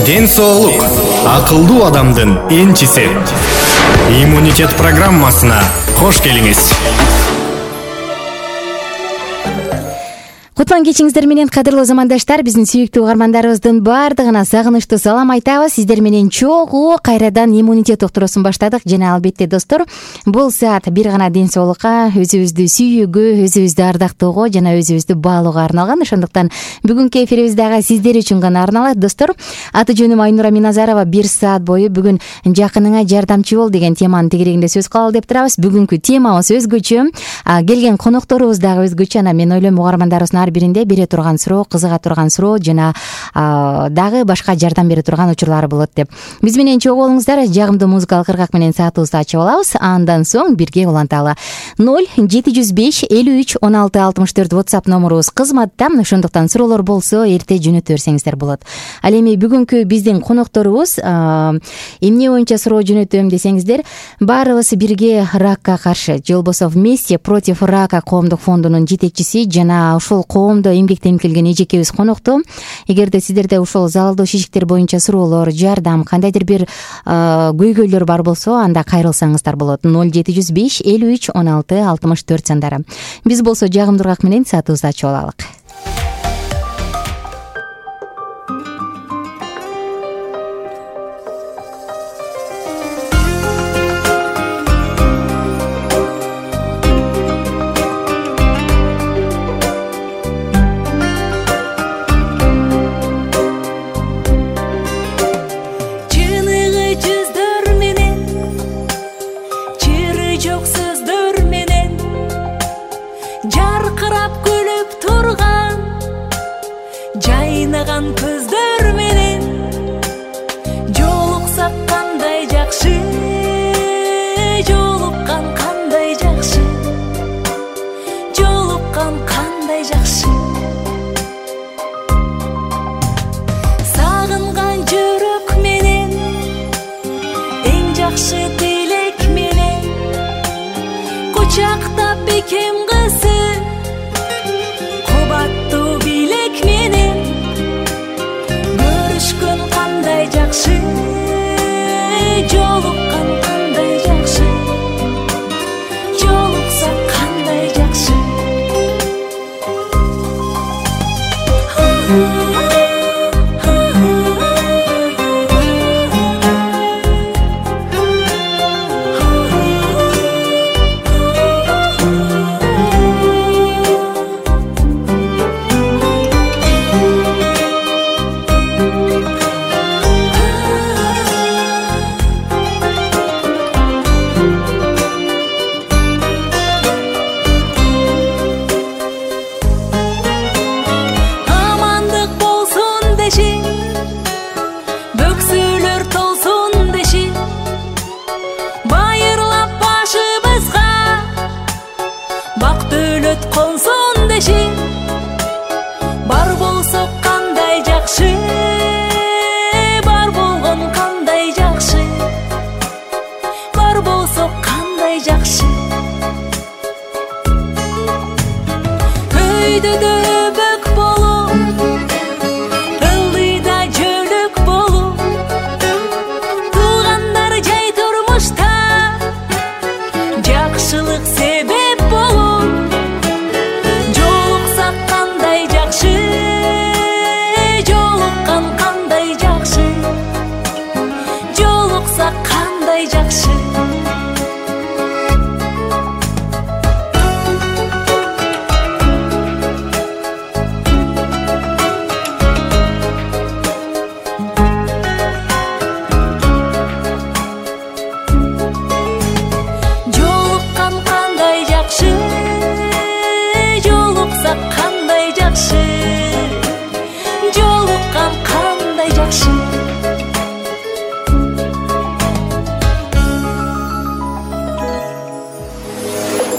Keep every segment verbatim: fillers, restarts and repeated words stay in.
Ден соолук акылдуу адамдын энчиси. Иммунитет программасына кош келиңиз. Кутман кечиңиздер менен кадырлуу замандаштар, биздин сүйүктүү угармандарыбыздын баардыгына сагынычтуу салам айтабыз. Сиздер менен чогуу кайрадан иммунитет уктуруусун баштадык жана албетте достор, бул саат бир гана ден соолукка, өзүбүздү сүйүүгө, өзүбүздү ардактоого жана өзүбүздү баалоого арналган. Ошондуктан бүгүнкү эфирибиз дагы сиздер үчүн гана арналат. Достор, аты жөнүм Айнура Миназарова. Бир саат бою бүгүн жакыныңа жардамчы бол деген теманын тегерегинде сөз кылалы деп турабыз. Бүгүнкү темабыз өзгөчө, келген конокторубуз дагы өзгөчө. Анан мен ойлойм угармандарыбыздын ар биринде бере турган суроо, кызыга турган суроо жана дагы башка жардам бере турган учурлары болот деп. Биз менен чогуу болуңуздар. Жагымдуу музыкалык ыргак менен саатыбызды ачып алабыз. Андан соң бирге уланталы. ноль жети жүз беш элүү үч он алты алтымыш төрт WhatsApp номурубуз кызматта. Ошондуктан суроолор болсо эрте жөнөтө берсеңиздер болот. Ал эми бүгүнкү биздин конокторубуз эмне боюнча суроо жөнөтөм десеңиздер, баарыбыз бирге ракка каршы, же болбосо вместе против рака коомдук фондунун жетекчиси жана ушул коомдо эмгектенип келген эжекебиз конокту. Эгерде сиздерде ушул залалдуу шишиктер боюнча суроолор, жардам, кандайдыр бир көйгөйлөр бар болсо, анда кайрылсаңыздар болот. ноль жети жүз беш элүү үч он алты алтымыш төрт сандары. Биз болсо жагымдуу ыргак менен саатыбызды ачып алалык.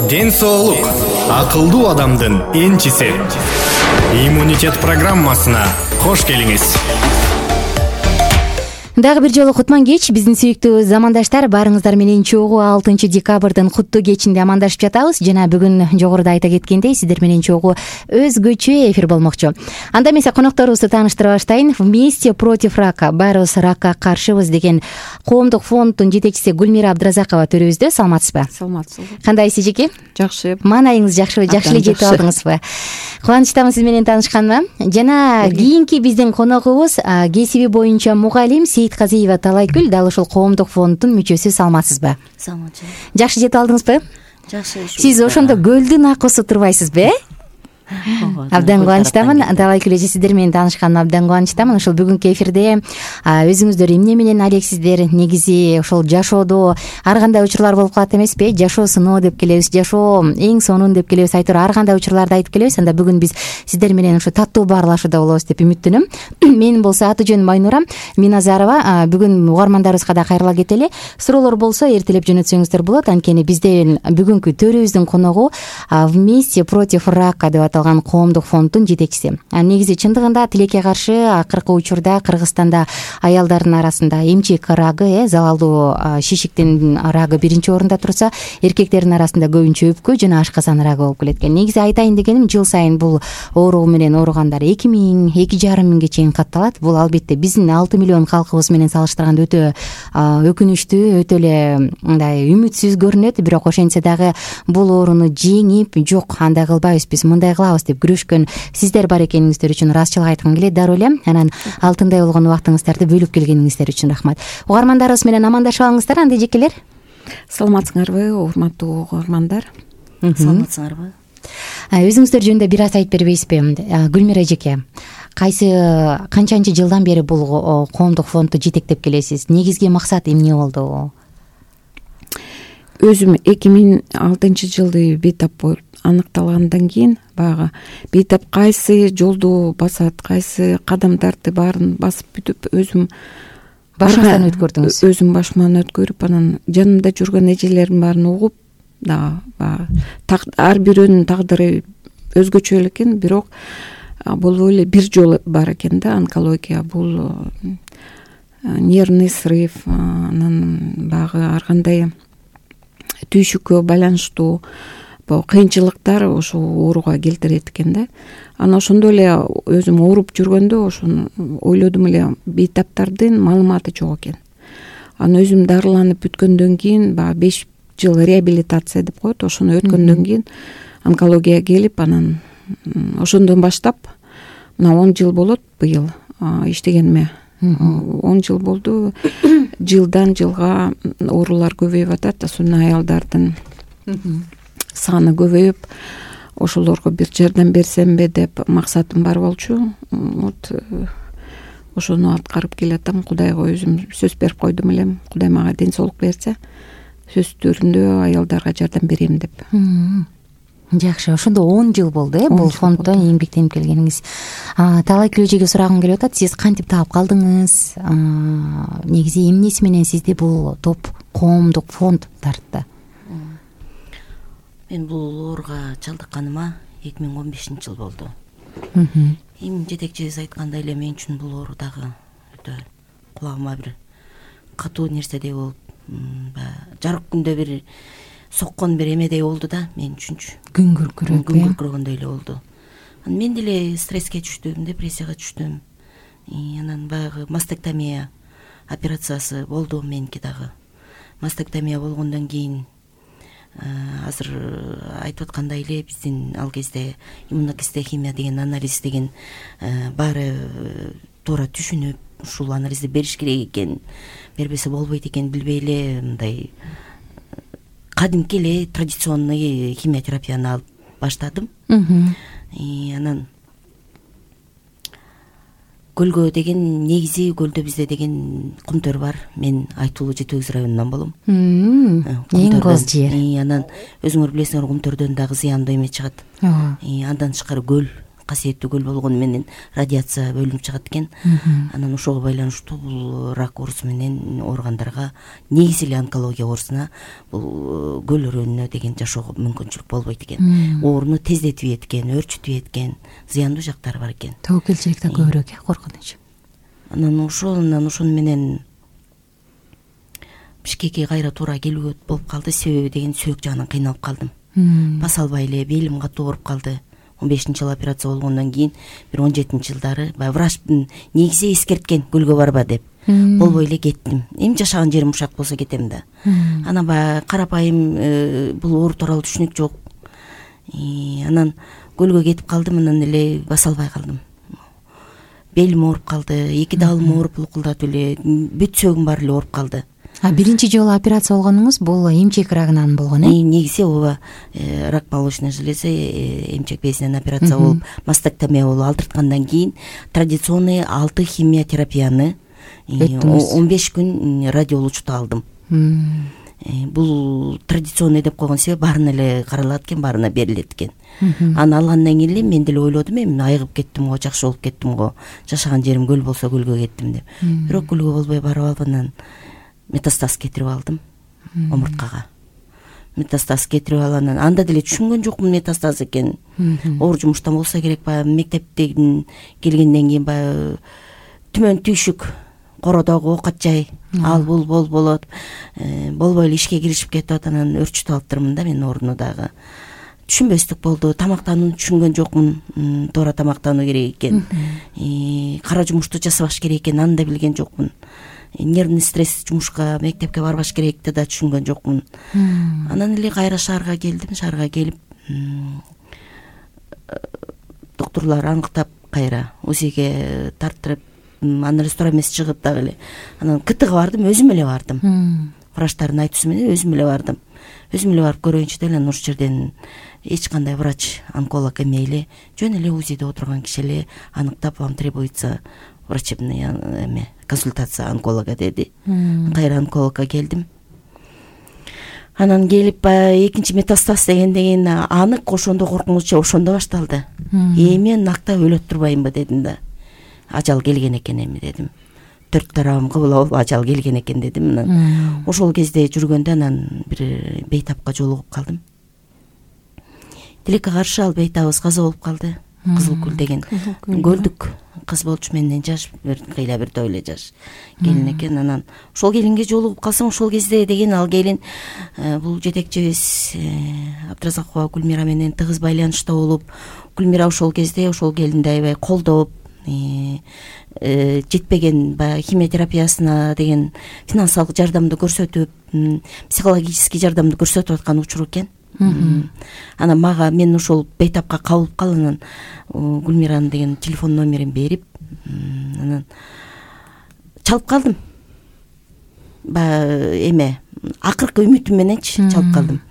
Ден соолук акылдуу адамдын энчиси. Иммунитет программасына кош келиңиз. Дагы бир жолу кутман кеч, биздин сүйүктүү замандаштар. Баарыңыздар менен чогуу алтынчы декабрдын куттуу кечинде амандашып жатабыз. Жана бүгүн жогоруда айта кеткендей, сиздер менен чогуу өзгөчө эфир болмокчу. Анда эмесе конокторубузду тааныштыра баштайын. Вместе против рака, баарыбыз ракка каршыбыз деген коомдук фонддун жетекчиси Гүлмира Абдыразакова төрүбүздө. Саламатсызбы? Саламатсызбы. Кандайсыз эжеке? Жакшы. Маанайыңыз жакшыбы? Жакшы эле жетип алдыңызбы? Кубанычтамын сиз менен таанышканыма. Жана кийинки биздин коногубуз кесиби боюнча мугалим Казиева Талайкүл, дал ушул коомдук фонддун мүчөсү. Саламатсызбы? Саламатчы. Жакшы жетип алдыңызбы? Жакшы. Сиз ошондо көлдүн акысы турбайсызбы, э? Абдан кубанычтамын. Талайкүл эже, сиздер менен таанышканыма абдан кубанычтамын. Ушул бүгүнкү эфирде өзүңүздөр эмне менен алексиздер? Негизи ошол жашоодо ар кандай учурлар болуп калат эмеспи? Жашоо сыноо деп келебиз, жашоо эң сонун деп келебиз, айтор ар кандай учурларды айтып келебиз. Анда бүгүн биз сиздер менен ушу таттуу баарлашууда болобуз деп үмүттөнөм. Менин болсо аты жөнүм Майнура Миназарова. Бүгүн угармандарыбызга да кайрыла кетели. Суроолор болсо эртелеп жөнөтсөңүздөр болот. Анткени бизден бүгүнкү төрүбүздүн коногу Вместе против рака деп аталган коомдук фонддун жетекчиси. Негизи чындыгында тилекке каршы акыркы учурда Кыргызстанда аялдардын арасында эмчек рагы, э залалдуу шишиктин рагы биринчи орунда турса, эркектердин арасында көбүнчө өпкө жана ашказан рагы болуп келет экен. Негизи айтайын дегеним, жыл сайын бул оору менен ооругандар эки миң, эки жарым миңге чейин катталат. Бул албетте биздин алты миллион калкыбыз менен салыштырганда өтө өкүнүчтүү, өтө эле мындай үмүтсүз көрүнөт. Бирок ошентсе дагы бул ооруну жеңип, жок андай кылбайбыз, биз мындай кылабыз деп күрөшкөн сиздер бар экениңиздер үчүн ыраазычылык айткым келет. Дароо эле анан алтындай болгон убактыңыздарды бөлүп келгениңиздер үчүн рахмат. Угармандарыбыз менен амандашып алыңыздар, анда эжекелер. Саламатсыңарбы, урматтуу угармандар? Саламатсыңарбы? Өзүңүздөр жөнүндө бир аз айтып бербейсизби? Гүлмира эжеке, кайсы канчанчы жылдан бери бул коомдук фондду жетектеп келесиз? Негизги максат эмне болду? Өзүм эки миң алтынчы жылды бейтап болуп аныкталгандан кийин баягы бейтап кайсы жолду басат, кайсы кадамдарды баарын басып бүтүп өзүм башыңыздан өткөрдүңүз. Өзүм башыман өткөрүп, анан жанымда жүргөн эжелердин баарын угуп, да баягы ар бирөөнүн тагдыры өзгөчө экен, бирок бул эле бир жол бар экен да, онкология. Бул нервный срыв, анан баягы ар кандай түйшүккө байланыштуу кыйынчылыктар ошол ооруга келтирет экен да. Анан ошондой эле өзүм ооруп жүргөндө ошону ойлодум эле, бейтаптардын маалыматы жок экен. Анан өзүм дарыланып бүткөндөн кийин баягы беш жыл реабилитация деп коет, ошону өткөндөн кийин онкология келип, анан ошондон баштап мына он жыл болот быйыл иштегениме. он жыл болду. Жылдан жылга оорулар көбөйүп атат, особенно аялдардын саны көбөйүп, ошолорго бир жардам берсемби деп максатым бар болчу. Вот ошону аткарып келатам. Кудайга өзүм сөз берип койдум элем. Кудай мага ден соолук берсе, сөз түрүндө аялдарга жардам берем деп. Жакшы, ошондо он жыл болду, э, бул фонддо эмгектенип келгениңиз. Талайкүл эжеге сурагым келип атат. Сиз кантип таап калдыңыз? Негизи эмнеси менен сизди бул топ коомдук фонд тартты? Мен бул ооруга чалдыкканыма эки миң он бешинчи жыл болду. Эми жетекчибиз айткандай эле мен үчүн бул оору дагы өтө кулагыма бир катуу нерседей болуп, жарык күндө бир соккон бир эмедей болду да мен үчүнчү. Күн күркүрөп, күн күркүрөгөндөй эле болду. Анан мен деле стресске түштүм, депрессияга түштүм. Анан баягы мастектомия операциясы болду меники дагы. Мастектомия болгондон кийин азыр айтып аткандай эле биздин ал кезде иммуногистохимия деген анализ деген баары туура түшүнүп, ушул анализди бериш керек экен, бербесе болбойт экен билбей эле мындай кадимки эле традиционный химиотерапияны алып баштадым. Анан көлгө деген, негизи көлдө бизде деген кумтөр бар. Мен Айтуулу Жети Өгүз районунан болом. Эң коз жер. Анан өзүңөр билесиңер, кумтөрдөн дагы зыяндуу эме чыгат. Андан тышкары көл, касиеттүү көл болгону менен радиация бөлүнүп чыгат экен. Анан ошого байланыштуу бул рак оорусу менен ооругандарга, негизи эле онкология оорусуна бул көл өрөөнүнө деген жашоого мүмкүнчүлүк болбойт экен. Ооруну тездетип эткен, өөрчүтүп эткен, зыяндуу жактары бар экен. Тобокелчилик да көбүрөөк, э, коркунуч. анан ошол анан ошону менен Бишкекке кайра туура келүүгө болуп калды. Себеби деген сөөк жагынан кыйналып калдым. Баса албай эле белим катуу ооруп калды. он бешинчи жылы операция болгондон кийин бир он жетинчи жылдары баягы врач негизи эскерткен көлгө барба деп. Болбой эле кеттим. Эми жашаган жерим ушак болсо кетем да. Анан баягы карапайым бул оору тууралуу түшүнүк жок. Анан көлгө кетип калдым, анан эле баса албай калдым. Белим ооруп калды, эки даалым ооруп лукулдатып эле, бүт сөөгүм баары эле ооруп калды. А биринчи жолу операция болгонуңуз бул эмчек рагынан болгон э? Негизи ооба рак молочной железы, эмчек безинен операция болуп, мастектомия болуп алдырткандан кийин традиционный алты химиотерапияны он беш күн радиолучуту алдым. Бул традиционный деп койгон себеби баарына эле каралат экен, баарына берилет экен. Аны алгандан кийин эле мен деле ойлодум, эми айыгып кеттим го, жакшы болуп кеттим го, жашаган жерим көл болсо көлгө кеттим деп. Бирок көлгө болбой барып алып анан метастаз кетирип алдым омурткага. Метастаз кетирип алып анан анда деле түшүнгөн жокмун метастаз экенин. Оор жумуштан болсо керек, баягы мектептен келгенден кийин баягы түмөн түйшүк, кородогу оокат жай, ал бул бол болот. Болбой эле ишке киришип кетип атат, анан өрчүтүп алыптырмын да мен орунду дагы. Түшүнбөстүк болду. Тамактанууну түшүнгөн жокмун. Туура тамактануу керек экен. Кара жумушту жасабаш керек экен, аны да билген жокмун. Нервный стресс жумушка, мектепке барбаш керекти да түшүнгөн жокмун. Анан эле кайра шаарга келдим. Шаарга келип доктурлар аныктап кайра УЗИге тартырып, анализ туура эмес чыгып дагы эле. Анан КТга бардым, өзүм эле бардым. Врачтардын айтуусу менен өзүм эле бардым. Өзүм эле барып көрөйүнчү деп анан ошол жерден эч кандай врач, онколог эме эле, жөн эле УЗИде отурган киши эле аныктап, вам требуется врачебная эме консультация онколога деди. Кайра онкологко келдим. Анан келип баягы экинчи метастаз дегенден анык, ошондо коркунучу ошондо башталды. Эми нактап өлөт турбаймынбы дедим да. Ажал келген экен эми дедим. Төрт тарабым кабыл болуп ажал келген экен дедим. Анан ошол кезде жүргөндө анан бир бейтапка жолугуп калдым. Тилекке каршы ал бейтабыбыз каза болуп калды. Кызыл көл деген көлдүк кыз болчу, менден жаш, бир кыйла бир тойле жаш келин экен. Анан ошол келинге жолугуп калсам, ошол кезде деген ал келин бул жетекчибиз Абдыразакова Гүлмира менен тыгыз байланышта болуп, Гүлмира ошол кезде ошол келинди аябай колдоп, жетпеген баягы химиотерапиясына деген финансылык жардамды көрсөтүп, психологический жардамды көрсөтүп аткан учуру экен. Анан мага мен ошол бейтапка кабылып кал, анан Гүлмиранын деген телефон номерин берип, анан чалып калдым. Баягы эме акыркы үмүтүм мененчи чалып калдым.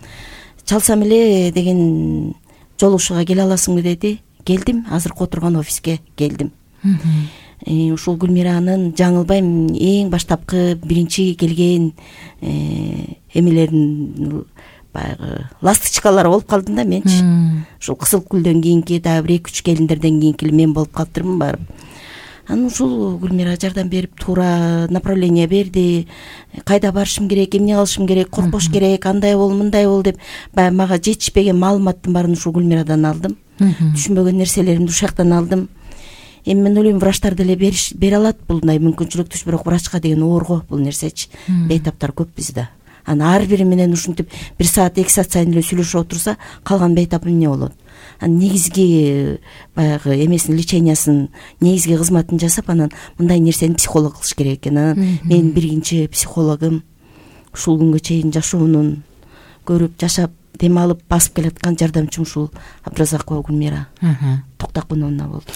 Чалсам эле деген жолугушууга келе аласыңбы деди. Келдим, азыркы отурган офиске келдим. Ушул Гүлмиранын жаңылбайм эң баштапкы биринчи келген эмелерин баягы ласточкалар болуп калдым да менчи. Ушул Кызыл Күлдөн кийинки дагы бир эки үч келиндерден кийинки мен болуп калыптырмын барып. Анан ушул Гүлмира жардам берип, туура направление берди. Кайда барышым керек, эмне кылышым керек, коркпош керек, андай бол, мындай бол деп баягы мага жетишпеген маалыматтын баарын ушул Гүлмирадан алдым. Түшүнбөгөн нерселеримди ушул жактан алдым. Эми мен ойлойм, врачтар деле бере алат булдай мүмкүнчүлүктү, бирок врачка деген оорго бул нерсечи. Бейтаптар көп бизде. Анан ар бири менен ушинтип бир саат, эки саат сайын эле сүйлөшүп отурса, калган бейтап эмне болот? Анан негизги баягы эмесин, лечениясын, негизги кызматын жасап, анан мындай нерсени психолог кылыш керек экен. Анан менин биринчи психологум ушул күнгө чейин жашоонун көрүп, жашап, дем алып, басып келаткан жардамчым ушул Абдыразакова Гүлмира Токтокуновна болду.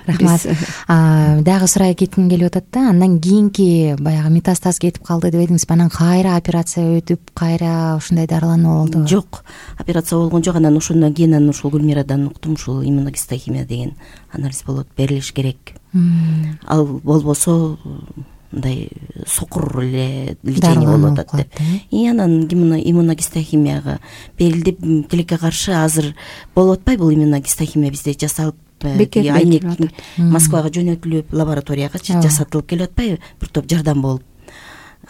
Рахмат. Дагы сурай кетким келип атат да, андан кийинки баягы метастаз кетип калды деп эдиңиз, анан кайра операция өтүп, кайра ушундай дарылануу болду? Жок, операция болгон жок. Анан ошондон кийин анан ушул Гүлмирадан уктум, ушул иммуногистохимия деген анализ болот, берилиш керек. Ал болбосо мындай сокур эле лечение болуп атат деп. И анан иммуногистохимияга берилди. Тилекке каршы азыр болуп атпайбы бул иммуногистохимия, бизде жасалып, айнек Москвага жөнөтүлүп, лабораторияга жасатылып келип атпайбы, бир топ жардам болуп.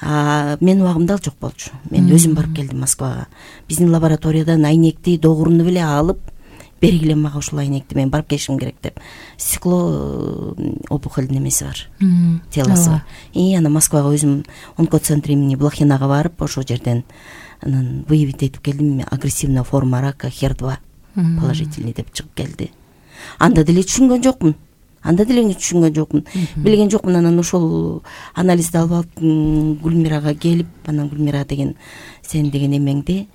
А менин убагымда ал жок болчу. Мен өзүм барып келдим Москвага. Биздин лабораториядан айнекти, догуруну беле алып, бергиле мага ушул айнекти мен барып келишим керек деп. Стекло опухоль немеси бар, телосы бар. И ана Москвага өзүм онкоцентр имени Блохинага барып ошол жерден анан выявить этип келдим. Агрессивная форма рака хер два положительный деп чыгып келди. Анда деле түшүнгөн жокмун. Анда деле түшүнгөн жокмун. Билген жокмун. Анан ошол анализди алып алып Гүлмирага келип, анан Гүлмира деген сен деген эмеңди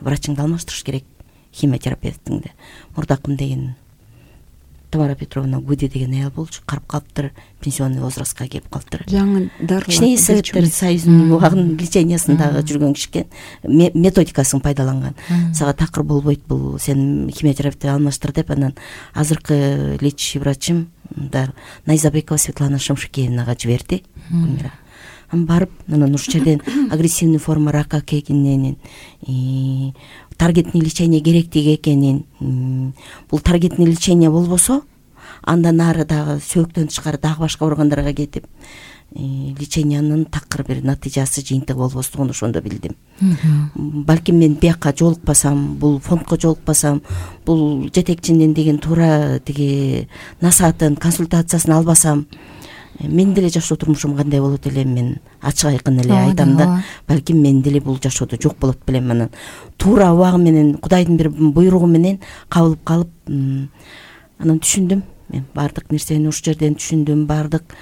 врачыңды алмаштырыш керек, химиотерапевтиңди. Мурдакым деген Тамара Петровна Гуди деген аял болчу, карып калыптыр, пенсионный возрастка келип калыптыр. Жаңы дарылар. Кичине Советтер Союзунун убагын лечениясындагы жүргөн кишкен методикасын пайдаланган. Сага такыр болбойт бул, сен химиотерапевтти алмаштыр деп. Анан азыркы лечащий врачым Найзабекова Светлана Шамшикеевнага жиберди Гүлмира. Анан барып, анан ушул жерден агрессивный форма рака экенин, таргетный лечение керектиги экенин, бул таргетный лечение болбосо андан ары дагы сөөктөн тышкары дагы башка органдарга кетип лечениянын такыр бир натыйжасы, жыйынтыгы болбостугун ошондо билдим. Балким мен бияка жолукпасам, бул фондко жолукпасам, бул жетекчинин деген туура тиги насаатын, консультациясын албасам, мен деле жашоо турмушум кандай болот элем, мен ачык айкын эле айтам да, балким мен деле бул жашоодо жок болот белем. Анан туура убагы менен, Кудайдын бир буйругу менен кабылып калып, анан түшүндүм. Мен баардык нерсени ушул жерден түшүндүм. Баардык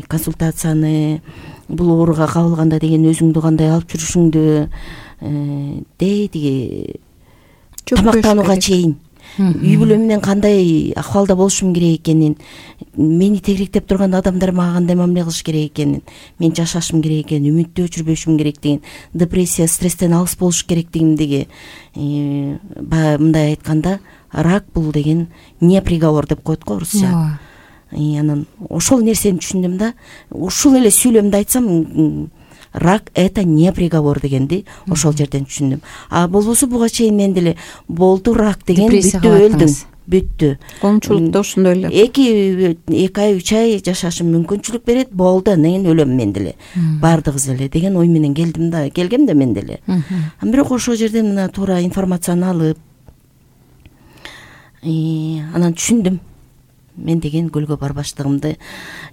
консультацияны бул ооруга кабылганда деген өзүңдү кандай алып жүрүшүңдү, дей тиги тамактанууга чейин үй бүлө менен кандай акыбалда болушум керек экенин, мени тегеректеп турган адамдар мага кандай мамиле кылыш керек экенин, мен жашашым керек экенин, үмүттү өчүрбөшүм керектигин, депрессия, стресстен алыс болуш керектигимдиги, баягы мындай айтканда, рак бул деген не приговор деп коет го орусча. Анан ошол нерсени түшүндүм да, ушул эле сүйлөмдү айтсам, рак это не приговор дегенди ошол жерден түшүндүм. А болбосо буга чейин мен деле болду рак деген, бүттү, өлдүм, бүттү. Коомчулукта ошондой эле. Эки эки ай, үч ай жашашым мүмкүнчүлүк берет, болду, анан өлөм мен деле. Бардыгыбыз эле деген ой менен келдим да, келгем да мен деле. Бирок ошол жерден мына туура информацияны алып, анан түшүндүм. Мен деген көлгө барбаштыгымды.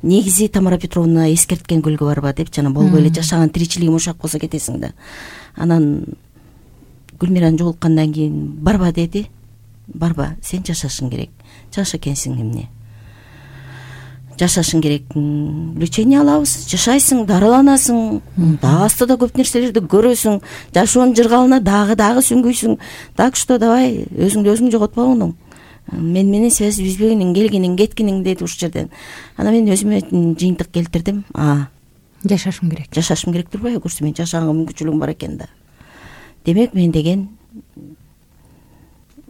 Негизи Тамара Петровна эскерткен көлгө барба деп, жана болбой эле жашаган тиричилигим ушак болсо кетесиң да. Анан Гүлмираны жолуккандан кийин барба деди. Барба, сен жашашың керек. Жаша экенсиң эмне? Жашашың керек. Лечение алабыз, жашайсың, дарыланасың, дагы астыда көп нерселерди көрөсүң, жашоонун жыргалына дагы дагы сүңгүйсүң. Так что давай, өзүңдү өзүң жоготпогуң. Мен менен связь үзбөгүнүң, келгениң, кеткениң деди ушул жерден. Анан мен өзүмө жыйынтык келтирдим. А, жашашым керек. Жашашым керек турбайбы? Көрсө мен жашаганга мүмкүнчүлүгүм бар экен да. Демек мен деген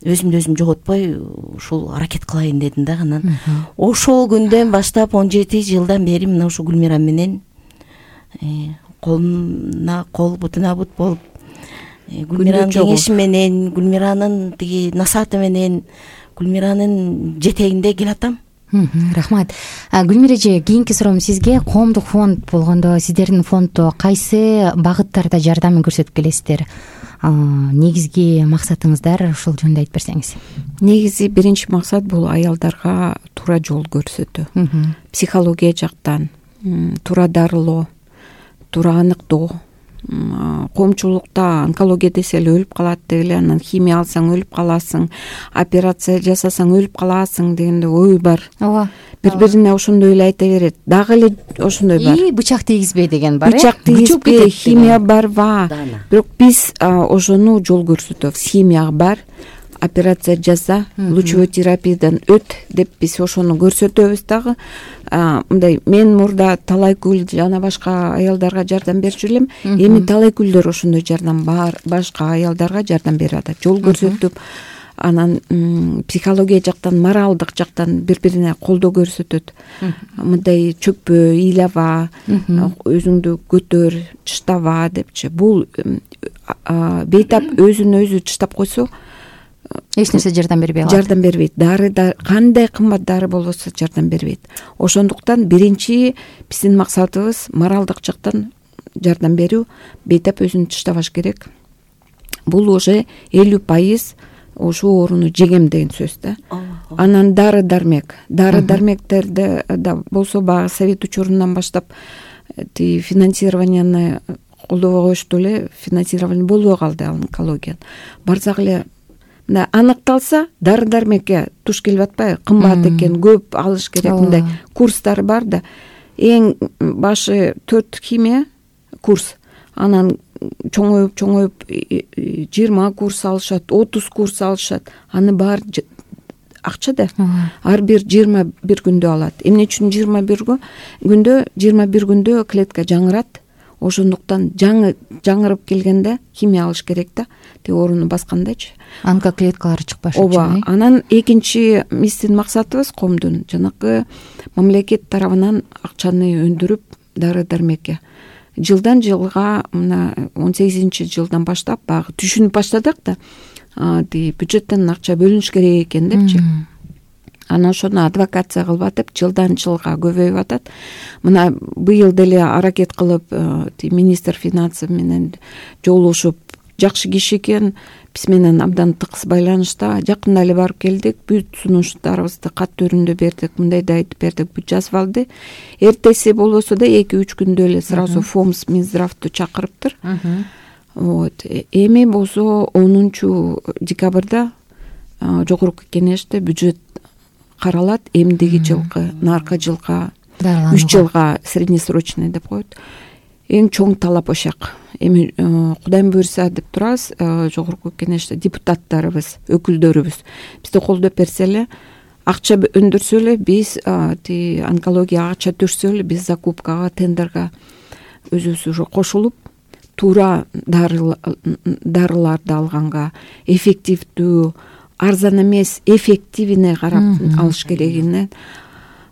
өзүмдү өзүм жоготпой ушул аракет кылайын дедим да. Анан ошол күндөн баштап он жети жылдан бери мына ушу Гүлмира менен колуна кол, бутуна бут болуп, Гүлмиранын кеңеши менен, Гүлмиранын тиги насааты менен, Гүлмиранын жетегинде келатам. Рахмат. Гүлмира эже, кийинки суроом сизге. Коомдук фонд болгондо сиздердин фонддо кайсы багыттарда жардам көрсөтүп келесиздер? Негизги максатыңыздар ушул жөнүндө айтып берсеңиз. Негизи биринчи максат бул аялдарга туура жол көрсөтүү. Психология жактан туура дарылоо, туура аныктоо. Коомчулукта онкология десе эле өлүп калат деп эле, анан химия алсаң өлүп каласың, операция жасасаң өлүп каласың дегенде ой бар. Ооба. Бири-бирине ошондой эле айта берет. Дагы эле ошондой бар. И бычак тийгизбе деген бар. Бычак тийгизбе, химия барба. Бирок биз ошону жол көрсөтөбүз. Химия бар, операция жаса, лучевой терапиядан өт деп биз ошону көрсөтөбүз дагы. Мындай мен мурда Талайкүл жана башка аялдарга жардам берчү элем. Эми Талайкүлдөр ошондой жардам бар, башка аялдарга жардам берип атат. Жол көрсөтүп, анан психология жактан, моралдык жактан бири-бирине колдоо көрсөтөт. Мындай чөкпө, ыйлаба, өзүңдү көтөр, чыштаба депчи. Бул бейтап өзүн өзү чыштап койсо, эч нерсе жардам бербей калат. Жардам бербейт. Дары да кандай кымбат дары болбосо жардам бербейт. Ошондуктан биринчи биздин максатыбыз моралдык жактан жардам берүү. Бейтап өзүн тыштабаш керек. Бул уже элүү пайыз ошол ооруну жегем деген сөз да. Анан дары дармек дары дармектерди да болсо баягы совет учурунан баштап тиги финансированияны колдобой коюшту эле, финансирование болбой калды онкология. Барсак эле мына аныкталса дары дармекке туш келип атпайбы, кымбат экен, көп алыш керек, мындай курстар бар да. Эң башы төрт химия курс, анан чоңоюп чоңоюп жыйырма курс алышат, отуз курс алышат. Аны баары акча да. Ар бир жыйырма бир күндө алат. Эмне үчүн жыйырма бир күндө? жыйырма бир күндө клетка жаңырат. Ошондуктан жаңы жаңырып келгенде химия алыш керек да. Те ооруну баскандачы. Онкоклеткалары чыкпаш үчүн. Ооба. Анан экинчи биздин максатыбыз коомдун жанакы мамлекет тарабынан акчаны өндүрүп дары дармекке жылдан жылга мына он сегизинчи жылдан баштап баягы түшүнүп баштадык да. Тиги бюджеттен акча бөлүнүш керек экен депчи. Анан ошону адвокация кылып атып, жылдан жылга көбөйүп атат. Мына быйыл деле аракет кылып, министр финансы менен жолугушуп, жакшы киши экен, биз менен абдан тыкыз байланышта. Жакында эле барып келдик, бүт сунуштарыбызды кат түрүндө бердик, мындайды айтып бердик, бүт жазып алды. Эртеси болбосо да эки үч күндө эле сразу ФОМС Минздравды чакырыптыр. Вот. Эми болсо онунчу декабрда жогорку кеңеште бюджет каралат. Эмдиги жылкы, наркы жылга, үч жылга среднесрочный деп коет. Эң чоң талап ошак. Эми Кудайым буйрса деп турабыз, жогорку кеңеште депутаттарыбыз, өкүлдөрүбүз бизди колдоп берсе эле, акча өндүрсө эле, биз ти онкологияга акча түшсө эле, биз закупкага, тендерге өзүбүз уже кошулуп, туура дарыларды алганга, эффективдүү, арзан эмес, эффективине карап алыш керегине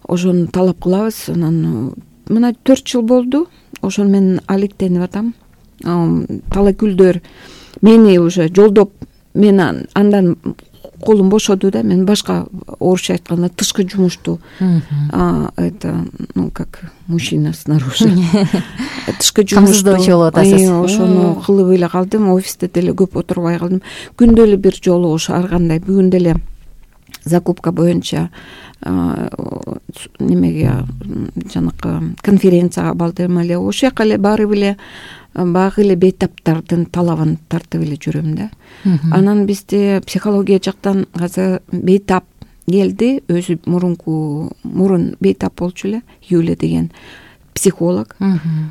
ошону талап кылабыз. Анан мына төрт жыл болду. Ошону мен алектенип атам. Талакүлдөр мени уже жолдоп, мен андан колум бошоду да. Мен башка орусча айтканда тышкы жумушту, это, ну как мужчина снаружи, тышкы жумушту ошону кылып эле калдым. Офисте деле көп отурбай калдым. Күндө эле бир жолу ошо ар кандай. Бүгүн деле закупка боюнча немеге жанакы конференцияга бардым эле. Ошол жака эле барып эле багы эле бейтаптардын талабын тартып эле жүрөм да. Анан бизде психология жактан азыр бейтап келди. Өзү мурунку мурун бейтап болчу эле, Юля деген психолог.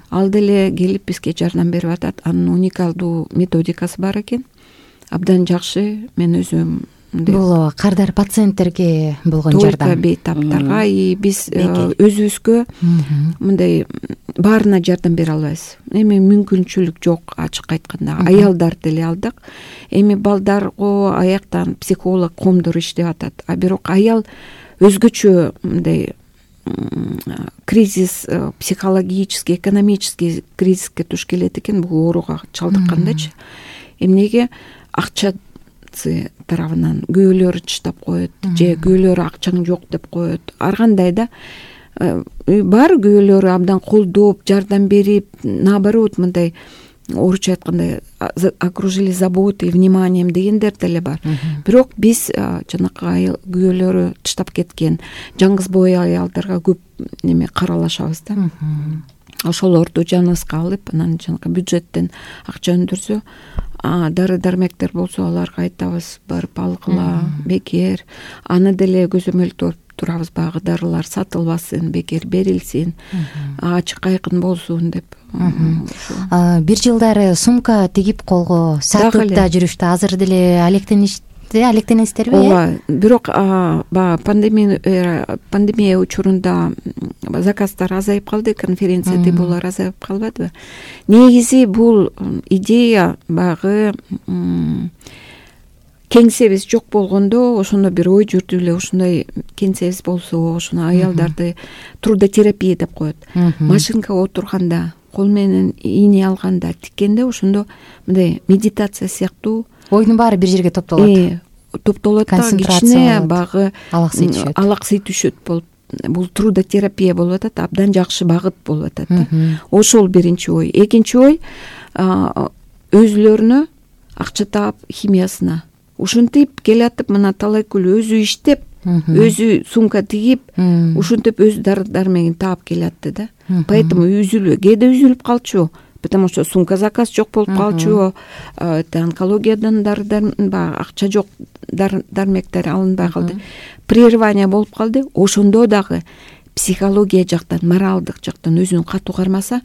Ал деле келип бизге жардам берип атат. Анын уникалдуу методикасы бар экен. Абдан жакшы. Мен өзүм бул кардар пациенттерге болгон жардам. Только бейтаптарга и биз өзүбүзгө мындай баарына жардам бере албайбыз. Эми мүмкүнчүлүк жок, ачык айтканда. Аялдар деле алдык. Эми балдарга аяктан психолог, коомдор иштеп атат. А бирок аял өзгөчө мындай кризис, психологический, экономический кризиске туш келет экен, бул ооруга чалдыккандачы. Эмнеге? Акча тарабынан күйөөлөрү чыштап коет, же күйөөлөрү акчаң жок деп коет. Ар кандай да бар күйөөлөрү абдан колдоп, жардам берип, наоборот мындай орусча айтканда окружили заботой, вниманием дегендер деле бар. Бирок биз жанакы күйөөлөрү тыштап кеткен жаңгыз бой аялдарга көп неме каралашабыз да. Ошолорду жаныбызга алып, анан жанакы бюджеттен акча өндүрсө, дары дармектер болсо аларга айтабыз, барып алгыла, бекер. Аны деле көзөмөлдөп турабыз, багы дарылар сатылбасын, бекер берилсин, ачык айкын болсун деп. Бир жылдары сумка тигип колго сатып да жүрүштү. Азыр деле алектениш алектенесиздерби? Ооба, бирок баягы пандемия пандемия учурунда заказдар азайып калды, конференция болор азайып калбадыбы? Негизи бул идея багы кеңсебиз жок болгондо, ошондо бир ой жүрдү эле, ушундай кеңсебиз болсо, ошону аялдарды трудотерапия деп коет. Машинкага отурганда, кол менен ийне алганда, тиккенде ошондо мындай медитация сыяктуу ойдун баары бир жерге топтолот. Топтолот да, кичине багы алаксый түшөт болуп, бул трудотерапия болуп атат, абдан жакшы багыт болуп атат да. Ошол биринчи ой. Экинчи ой, өзүлөрүнө акча таап химиясына ушинтип келатып мына Талайкүл өзү иштеп, өзү сумка тигип, ушинтип өз дары дармегин таап келатты да. Поэтому үзүлүп, кээде үзүлүп калчу, потому что сумка заказ жок болуп калчу, онкологиядан дары баягы акча жок, дармектер алынбай калды, прерывание болуп калды. Ошондо дагы психология жактан, моралдык жактан өзүн катуу кармаса,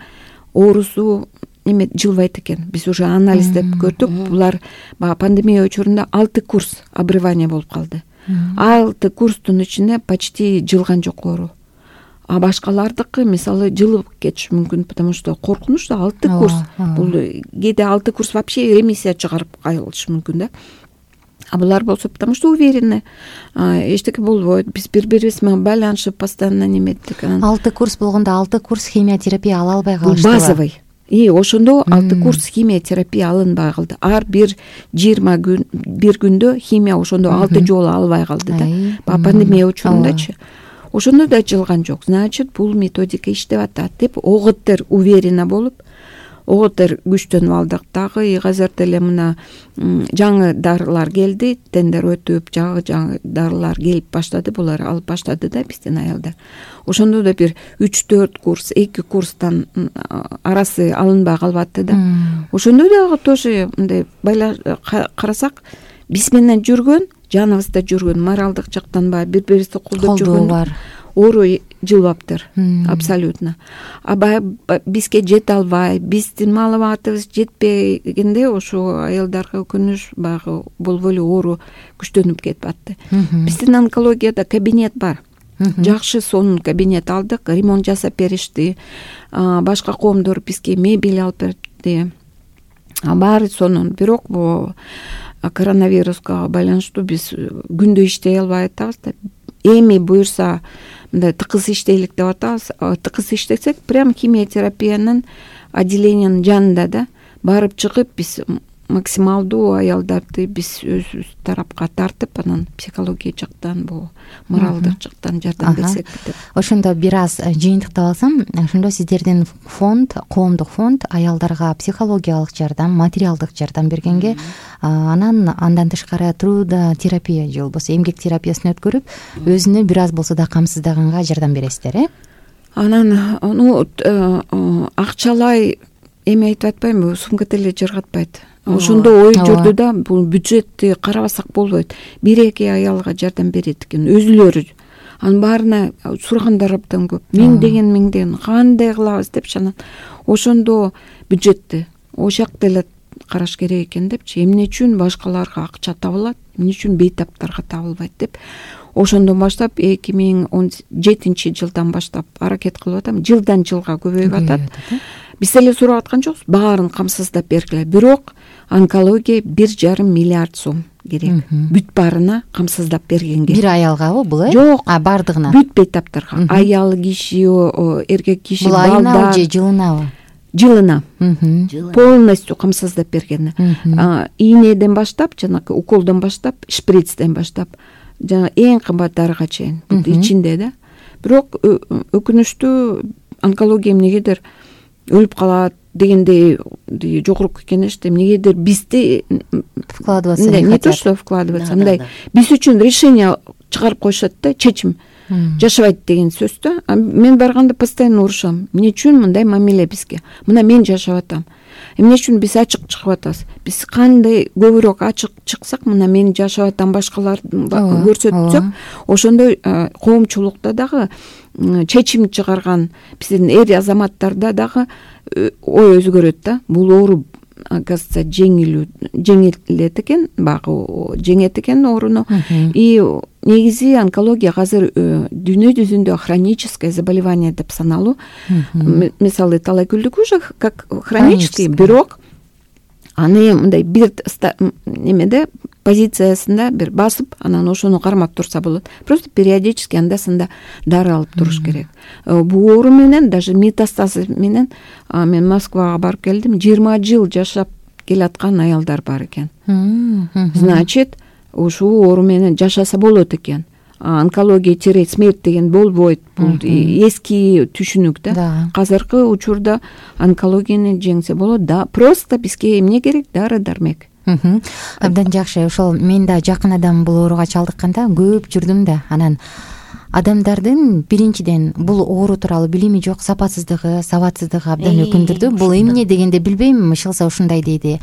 оорусу эме жылбайт экен. Биз уже анализдеп көрдүк. Булар баягы пандемия учурунда алты курс обрывание болуп калды. Алты курстун ичинде почти жылган жок оору. А башкалардыкы мисалы жылып кетиши мүмкүн, потому что коркунуч да алты курс. Бул кээде алты курс вообще ремиссия чыгарып калышы мүмкүн да. А булар болсо потому что уверены, эчтеке болбойт. Биз бири-бирибиз менен байланышып постоянно неметтик. алты курс болгондо алты курс химиотерапия ала албай калышты. Базовый. И ошондо алты курс химиотерапия алынбай калды. Ар бир жыйырма күн, бир күндө химия ошондо алты жолу албай калды да. Баягы пандемия учурундачы. Ошондо да жылган жок. Значит, бул методика иштеп атат деп оготтер уверена болуп, оготтер күчтөнүп алдык. Дагы азыр деле мына жаңы дарылар келди, тендер өтүп, жаңы жаңы дарылар келип баштады, булар алып баштады да биздин аялдар. Ошондо да бир үч төрт курс, эки курстан арасы алынбай калбатты да. Ошондо дагы тоже мындай карасак, биз менен жүргөн, жаныбызда жүргөн, моралдык жактан баягы бири-бирибизди колдоп жүргөн оору жылбаптыр. Абсолютно. А баягы бизге жете албай, биздин маалыматыбыз жетпегенде ошо аялдарга өкүнүч баягы болбой эле оору күчтөнүп кетип атты. Биздин онкологияда кабинет бар. Жакшы сонун кабинет алдык, ремонт жасап беришти. Башка коомдор бизге мебель алып берди. Баары сонун. Бирок бу коронавируска байланыштуу биз күндө иштей албай атабыз да. Эми буюрса мындай тыкыз иштейлик деп атабыз. Тыкыз иштесек, прям химиотерапиянын отделениянын жанында да барып чыгып, биз максималдуу аялдарды биз өзүбүз тарапка тартып, анан психология жактан, бул моралдык жактан жардам берсек деп. Ошондо бир аз жыйынтыктап алсам, ошондо сиздердин фонд, коомдук фонд аялдарга психологиялык жардам, материалдык жардам бергенге, анан андан тышкары трудотерапия же болбосо эмгек терапиясын өткөрүп, өзүнө бир аз болсо да камсыздаганга жардам бересиздер, э? Анан ну акчалай эми айтып атпаймынбы, сумка деле жыргатпайт. Ошондо ой жүрдү да, бул бюджетти карабасак болбойт. Бир-эки аялга жардам берет экен, өзүлөрү. Анын баарына сурагандар абдан көп. Миңдеген миңдеген кандай кылабыз депчи, анан ошондо бюджетти ошак деле караш керек экен депчи. Эмне үчүн башкаларга акча табылат, эмне үчүн бейтаптарга табылбайт деп. Ошондон баштап эки миң он жетинчи жылдан баштап аракет кылып атам. Жылдан жылга көбөйүп атат. Биз эле сурап аткан жокпуз, баарын камсыздап бергиле. Бирок онкология бир жарым миллиард сом керек. Бүт баарына камсыздап бергенге. Бир аялгабы бул, э? Жок, а бардыгына. Бүт бейтаптарга. Аял киши, эркек киши, балдар. Бул айына же жылынабы? Жылына. Полностью камсыздап бергени. Ийнеден баштап, жанагы уколдон баштап, шприцден баштап, жана эң кымбат дарыга чейин ичинде да. Бирок өкүнүчтүү онкология эмнегедир өлүп калат дегендей жогорку кеңеште эмнегедир бизди вкладываться не хотят. Не то, что вкладываться, мындай биз үчүн решение чыгарып коюшат да, чечим. Жашабайт деген сөз да. Мен барганда постоянно урушам. Эмне үчүн мындай мамиле бизге? Мына мен жашап атам. Эмне үчүн биз ачык чыгып атабыз? Биз кандай көбүрөөк ачык чыксак, мына мен жашап атам, башкалар көрсөтсөк, ошондой коомчулукта дагы чечим чыгарган биздин эр азаматтарда дагы ой өзгөрөт да. Бул оору оказывается жеңилүү жеңилет экен, багы жеңет экен ооруну. И негизи онкология азыр дүйнө жүзүндө хроническое заболевание деп саналуу. Мисалы Талайкүлдүкү уже как хронический, бирок аны мындай бир немеде позициясында бир басып, анан ошону кармап турса болот. Просто периодически анда-санда дары алып туруш керек. Бул оору менен, даже метастазы менен мен Москвага барып келдим, жыйырма жыл жашап келаткан аялдар бар экен. Значит, ушул оору менен жашаса болот экен. Онкология тире смерть деген болбойт. Бул эски түшүнүк да. Азыркы учурда онкологияны жеңсе болот да. Просто бизге эмне керек? Дары дармек. Абдан жакшы. Ошол мен да жакын адам бул ооруга чалдыкканда көп жүрдүм да. Анан адамдардын биринчиден бул оору тууралуу билими жок, сапатсыздыгы, сабатсыздыгы абдан өкүндүрдү. Бул эмне дегенде билбейм, ышылса ушундай дейди.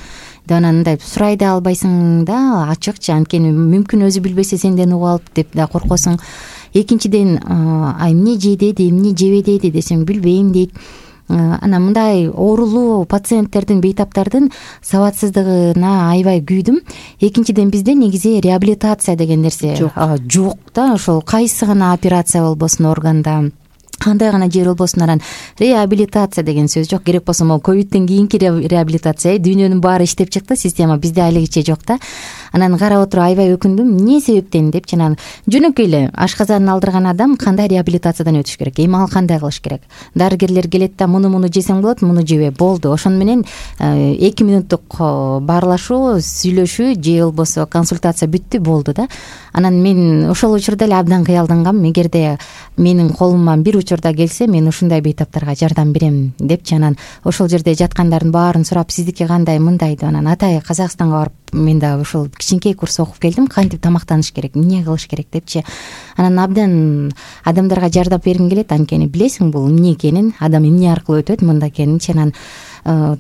Анан мындай сурай да албайсың да, ачыкчы, анткени мүмкүн өзү билбесе сенден угуп алып деп да коркосуң. Экинчиден, а эмне жейди, эмне жебедейди десем билбейм дейт. Анан мындай оорулуу пациенттердин, бейтаптардын сабатсыздыгына аябай күйдүм. Экинчиден, бизде негизи реабилитация деген нерсе жок да. Ошол кайсы гана операция болбосун органда, кандай гана жер болбосун, анан реабилитация деген сөз жок. Керек болсо могу ковидтен кийинки реабилитация, дүйнөнүн баары иштеп чыкты, система бизде алигиче жок да. Анан карап отуруп аябай өкүндүм. Эмне себептен депчи. Анан жөнөкөй эле ашказанын алдырган адам кандай реабилитациядан өтүш керек, эми ал кандай кылыш керек? Дарыгерлер келет да, муну муну жесең болот, муну жебе, болду. Ошону менен эки мүнөттүк баарлашуу, сүйлөшүү же болбосо консультация бүттү, болду да. Анан мен ошол учурда эле абдан кыялдангам. Эгерде менин колуман бир учурда келсе, мен ушундай бейтаптарга жардам берем депчи. Анан ошол жерде жаткандардын баарын сурап, сиздики кандай, мындай деп, анан атай Казакстанга барып мен да ушул кичинекей курс окуп келдим, кантип тамактаныш керек, эмне кылыш керек депчи. Анан абдан адамдарга жардам бергим келет, анткени билесиң бул эмне экенин, адам эмне аркылуу өтөт мында экенинчи. Анан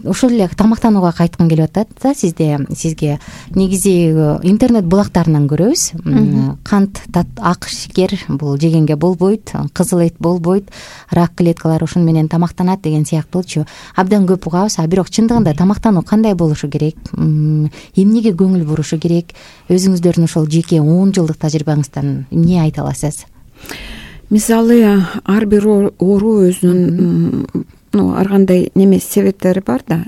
ошол эле тамактанууга кайткым келип атат да сизде. Сизге негизи интернет булактарынан көрөбүз. Кант, ак шекер бул жегенге болбойт, кызыл эт болбойт, рак клеткалары ушуну менен тамактанат деген сыяктуучу абдан көп угабыз. А бирок чындыгында тамактануу кандай болушу керек, эмнеге көңүл бурушу керек? Өзүңүздөрдүн ошол жеке он жылдык тажрыйбаңыздан эмне айта аласыз? Мисалы, ар бир оору өзүнүн ар кандай неме себептери бар да.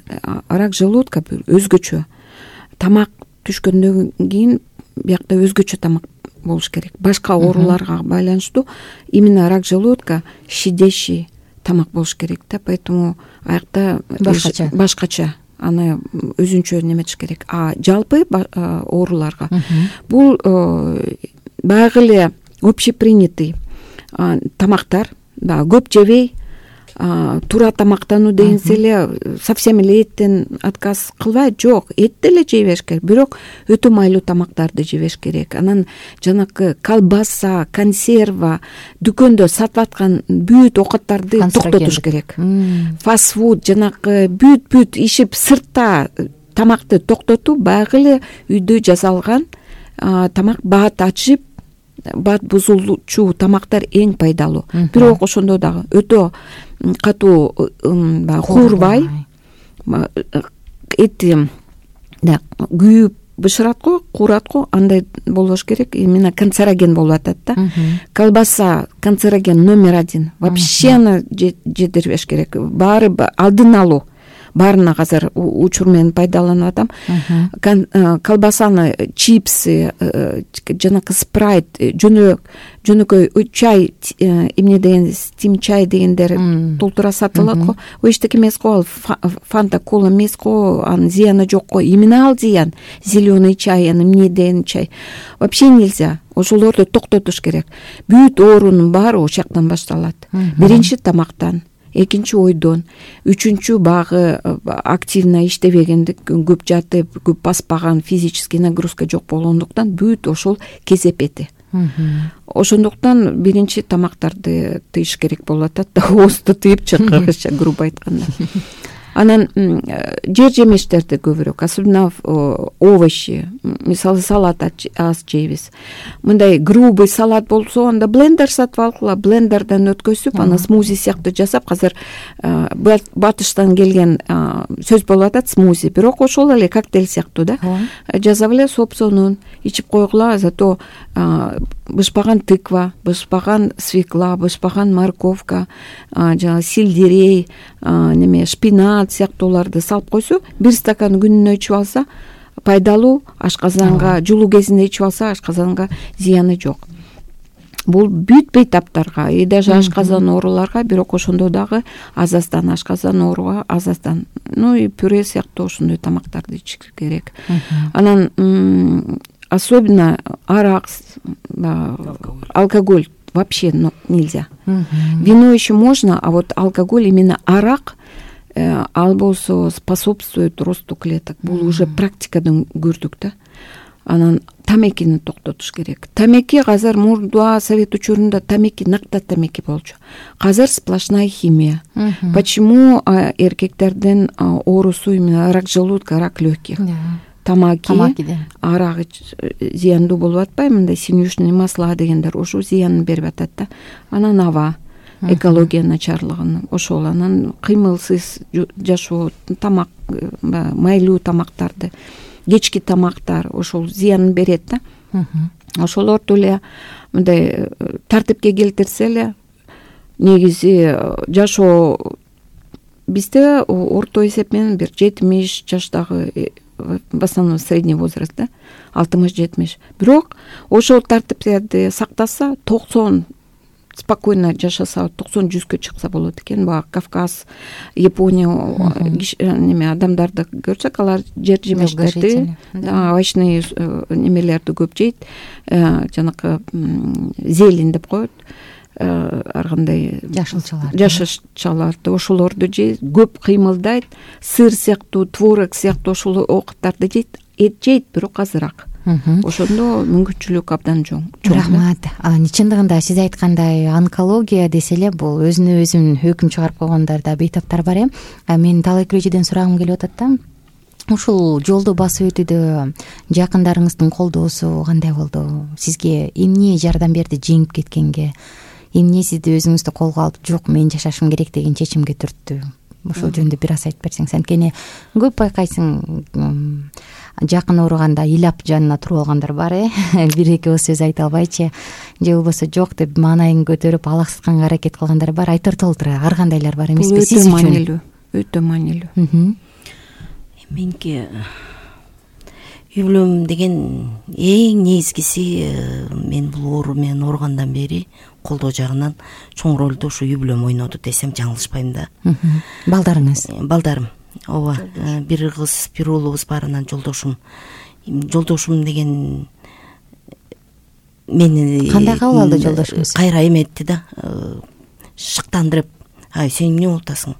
Рак желудка өзгөчө. Тамак түшкөндөн кийин биякта өзгөчө тамак болуш керек. Башка ооруларга байланыштуу именно рак желудка щадящий тамак болуш керек да. Поэтому аякта башкача башкача аны өзүнчө неметиш керек. А жалпы ооруларга бул баягы эле общепринятый тамактар, көп жебей, туура тамактануу дегенсе эле совсем эле эттен отказ кылбайт, жок, эт деле жей бериш керек, бирок өтө майлуу тамактарды жебеш керек. Анан жанакы колбаса, консерва, дүкөндө сатып аткан бүт оокаттарды токтотуш керек. Фастфуд, жанакы бүт бүт ишип сыртта тамакты токтотуп, баягы эле үйдө жасалган тамак, баат ачып, баат бузулуучу тамактар эң пайдалуу. Бирок ошондо дагы өтө катуу куурбай, эти да күйүп бышырат го, куурат го, андай болбош керек. Именно канцероген болуп атат да. Колбаса канцероген номер один. Вообще аны жедирбеш керек. Баары алдын алуу. Баарына азыр учур менен пайдаланып атам. Колбасаны, чипсы, жанакы спрайт, жөнөк жөнөкөй чай, эмне деген стим чай дегендер толтура сатылат го. Ол эчтеке эмес го, ал фанта, кола эмес го, анын зыяны жок го. Именно ал зыян. Зеленый чай, аны эмне деген чай. Вообще нельзя. Ошолорду токтотуш керек. Бүт оорунун баары ошол жактан башталат. Биринчи тамактан, экинчи ойдон, үчүнчү багы активно иштебегендик, көп жатып, көп баспаган, физический нагрузка жок болгондуктан бүт ошол кезепети. Ошондуктан биринчи тамактарды тыйыш керек болуп атат да, оозду тыйыпчы, кыргызча грубо айтканда. Анан жер жемиштерди көбүрөөк, особенно овощи, мисалы салат аз жейбиз. Мындай грубый салат болсо, анда блендер сатып алгыла, блендерден өткөзүп, аны смузи сыяктуу жасап, азыр батыштан келген сөз болуп атат смузи, бирок ошол эле коктейль сыяктуу да. Жасап эле сопсонун ичип койгула, зато бышпаган тыква, бышпаган свекла, бышпаган морковка, жана сельдерей, неме шпинат сыяктууларды салып койсо, бир стакан күнүнө ичип алса пайдалуу, ашказанга жулуу кезинде ичип алса ашказанга зыяны жок. Бул бүт бейтаптарга, и даже ашказан ооруларга, бирок ошондо дагы аз аздан, ашказан ооруга аз аздан, ну и пюре сыяктуу ошондой тамактарды ичиш керек. Анан особенно арак, алкоголь вообще нельзя. Вино еще можно, а вот алкоголь, именно арак, ал болсо способствует росту клеток. Бул уже практикадан көрдүк да. Анан тамекини токтотуш керек. Тамеки азыр мурда совет учурунда тамеки накта тамеки болчу. Азыр сплошная химия. Почему эркектердин оорусу именно рак желудка, рак легких? Тамаки, арак зыяндуу болуп атпайбы? Мындай синюшный масла дегендер ошо зыянын берип атат да. Анан аба, экология начарлыгын, ошол анан кыймылсыз жашоо, тамак, майлуу тамактарды, кечки тамактар ошол зыянын берет да. Ошолорду эле мындай тартипке келтирсе эле негизи жашоо бизде орто эсеп менен бир жетимиш жаштагы, в основном средний возраст да, алтымыш жетимиш. Бирок ошол тартиптерди сактаса, токсон спокойно жашаса, токсон жүзгө чыкса болот экен. Бага Кавказ, Япония неме адамдарды көрсөк, алар жер жемештерди, овощный немелерди көп жейт, жанакы зелень деп коет, ар кандай жашылчалар жашылчаларды ошолорду жейт, көп кыймылдайт, сыр сыяктуу, творог сыяктуу ошол оокаттарды жейт, эт жейт, бирок азыраак. Ошондо мүмкүнчүлүк абдан чоң. Рахмат. Чындыгында сиз айткандай онкология десе эле бул өзүнө өзүн өкүм чыгарып койгондар да бейтаптар бар э. Мен талай күрөчүдөн сурагым келип атат да. Ушул жолду басып өтүүдө жакындарыңыздын колдоосу кандай болду? Сизге эмне жардам берди жеңип кеткенге? Эмне сизди өзүңүздү колго алып, жок, мен жашашым керек деген чечимге түрттү? Ошол жөнүндө бир аз айтып берсең. Анткени көп байкайсың, жакын ооруганда ыйлап жанына туруп алгандар бар э. Бир эки ооз сөз айта албайчы, же болбосо жок деп маанайын көтөрүп алаксытканга аракет кылгандар бар. Айтор толтура ар кандайлар бар эмеспи сиз үчүн? Маанилүү, өтө маанилүү. Меники үй бүлөм деген эң негизгиси, мен бул оору менен ооругандан бери колдоо жагынан чоң ролду ушу үй бүлөм ойноду десем жаңылышпайм да. Балдарыңыз? Балдарым. Ооба, бир кыз, бир уулубуз бар, анан жолдошум. Жолдошум деген мени кандай кабыл алды жолдошуңуз? Кайра эметти да, шыктандырып, ай сен эмне болуп атасың?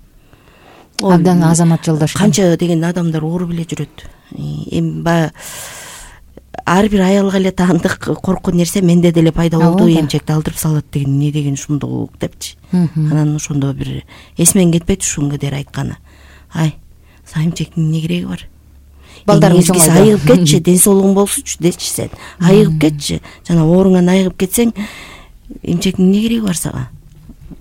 Абдан азамат жолдош. Канча деген адамдар ооруп эле жүрөт. Эми баягы ар бир аялга эле таандык коркуу нерсе менде деле пайда болду, эмчекти алдырып салат деген эмне деген ушундук депчи. Анан ошондо бир эсмен кетпейт ушуга дер айтканы. Ай, сага эмчектин эмне кереги бар? Балдарың чоңойду. Айыгып кетчи, ден соолугуң болсучу дечи сен. Айыгып кетчи. Жана ооруңан айыгып кетсең, эмчектин эмне кереги бар сага?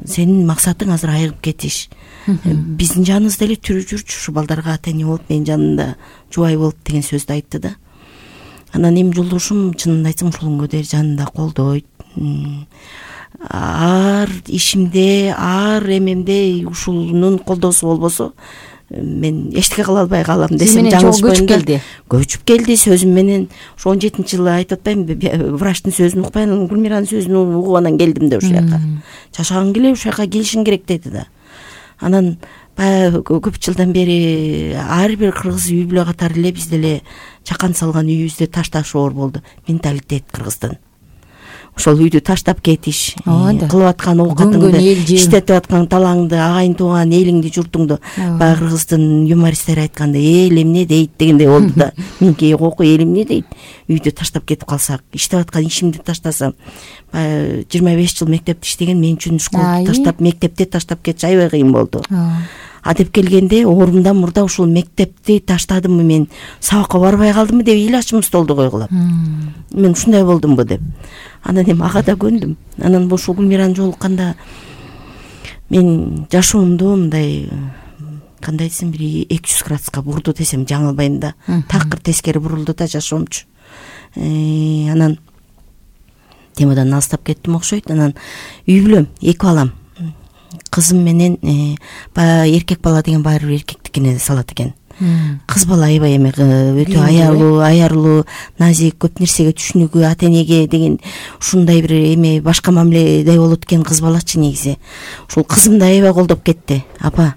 Сенин максатың азыр айыгып кетиш. Биздин жаныбызда эле түрү жүрчү, ушу балдарга ата эне болуп, менин жанымда жубай болуп деген сөздү айтты да. Анан эми жолдошум чынын айтсам ушулунга дер жанында колдойт. Ар ишимде, ар эмемде ушунун колдоосу болбосо мен эчтеке кыла албай калам десем жаңылышпайм да. Көчүп келди сөзүм менен. Ошо он жетинчи жылы айтып атпаймынбы, врачтын сөзүн укпай, анан Гүлмиранын сөзүн угуп анан келдим да ушул жака. Жашагың келе ушул жака келишиң керек деди да. Анан баягы көп жылдан бери ар бир кыргыз үй бүлө катары эле биз деле чакан салган үйүбүздө ташташоор болду. Менталитет кыргыздын. Ошол үйдү таштап кетиш, кылып аткан оокатыңды, иштетип аткан талаңды, агайын тууган элиңди, журтуңду баягы кыргыздын юмористтери айткандай эл эмне дейт дегендей болду да. Меники окуу эл эмне дейт? Үйдү таштап кетип калсак, иштеп аткан ишимди таштасам, баягы жыйырма беш жыл мектепте иштеген мен үчүн школду таштап, мектепти таштап кетиш аябай кыйын болду. А деп келгенде оорумдан мурда ушул мектепти таштадымбы мен, сабакка барбай калдымбы деп ыйлачымын столду койгулап. Мен ушундай болдумбу деп. Анан эми ага да көндүм. Анан ошол Гүлмираны жолукканда мен жашоомду мындай кандай десем бир эки жүз градуска бурду десем жаңылбайм да. Такыр тескери бурулду да жашоомчу. Анан темадан алыстап кеттим окшойт. Анан үй бүлөм, эки балам. Кызым менен баягы эркек бала деген баары бир эркектикине салат экен. Кыз бала аябай эми өтө аялуу, аярлуу, назик, көп нерсеге түшүнүгү, ата энеге деген ушундай бир эме башка мамиледе болот экен кыз балачы негизи. Ушул кызым да аябай колдоп кетти. Апа,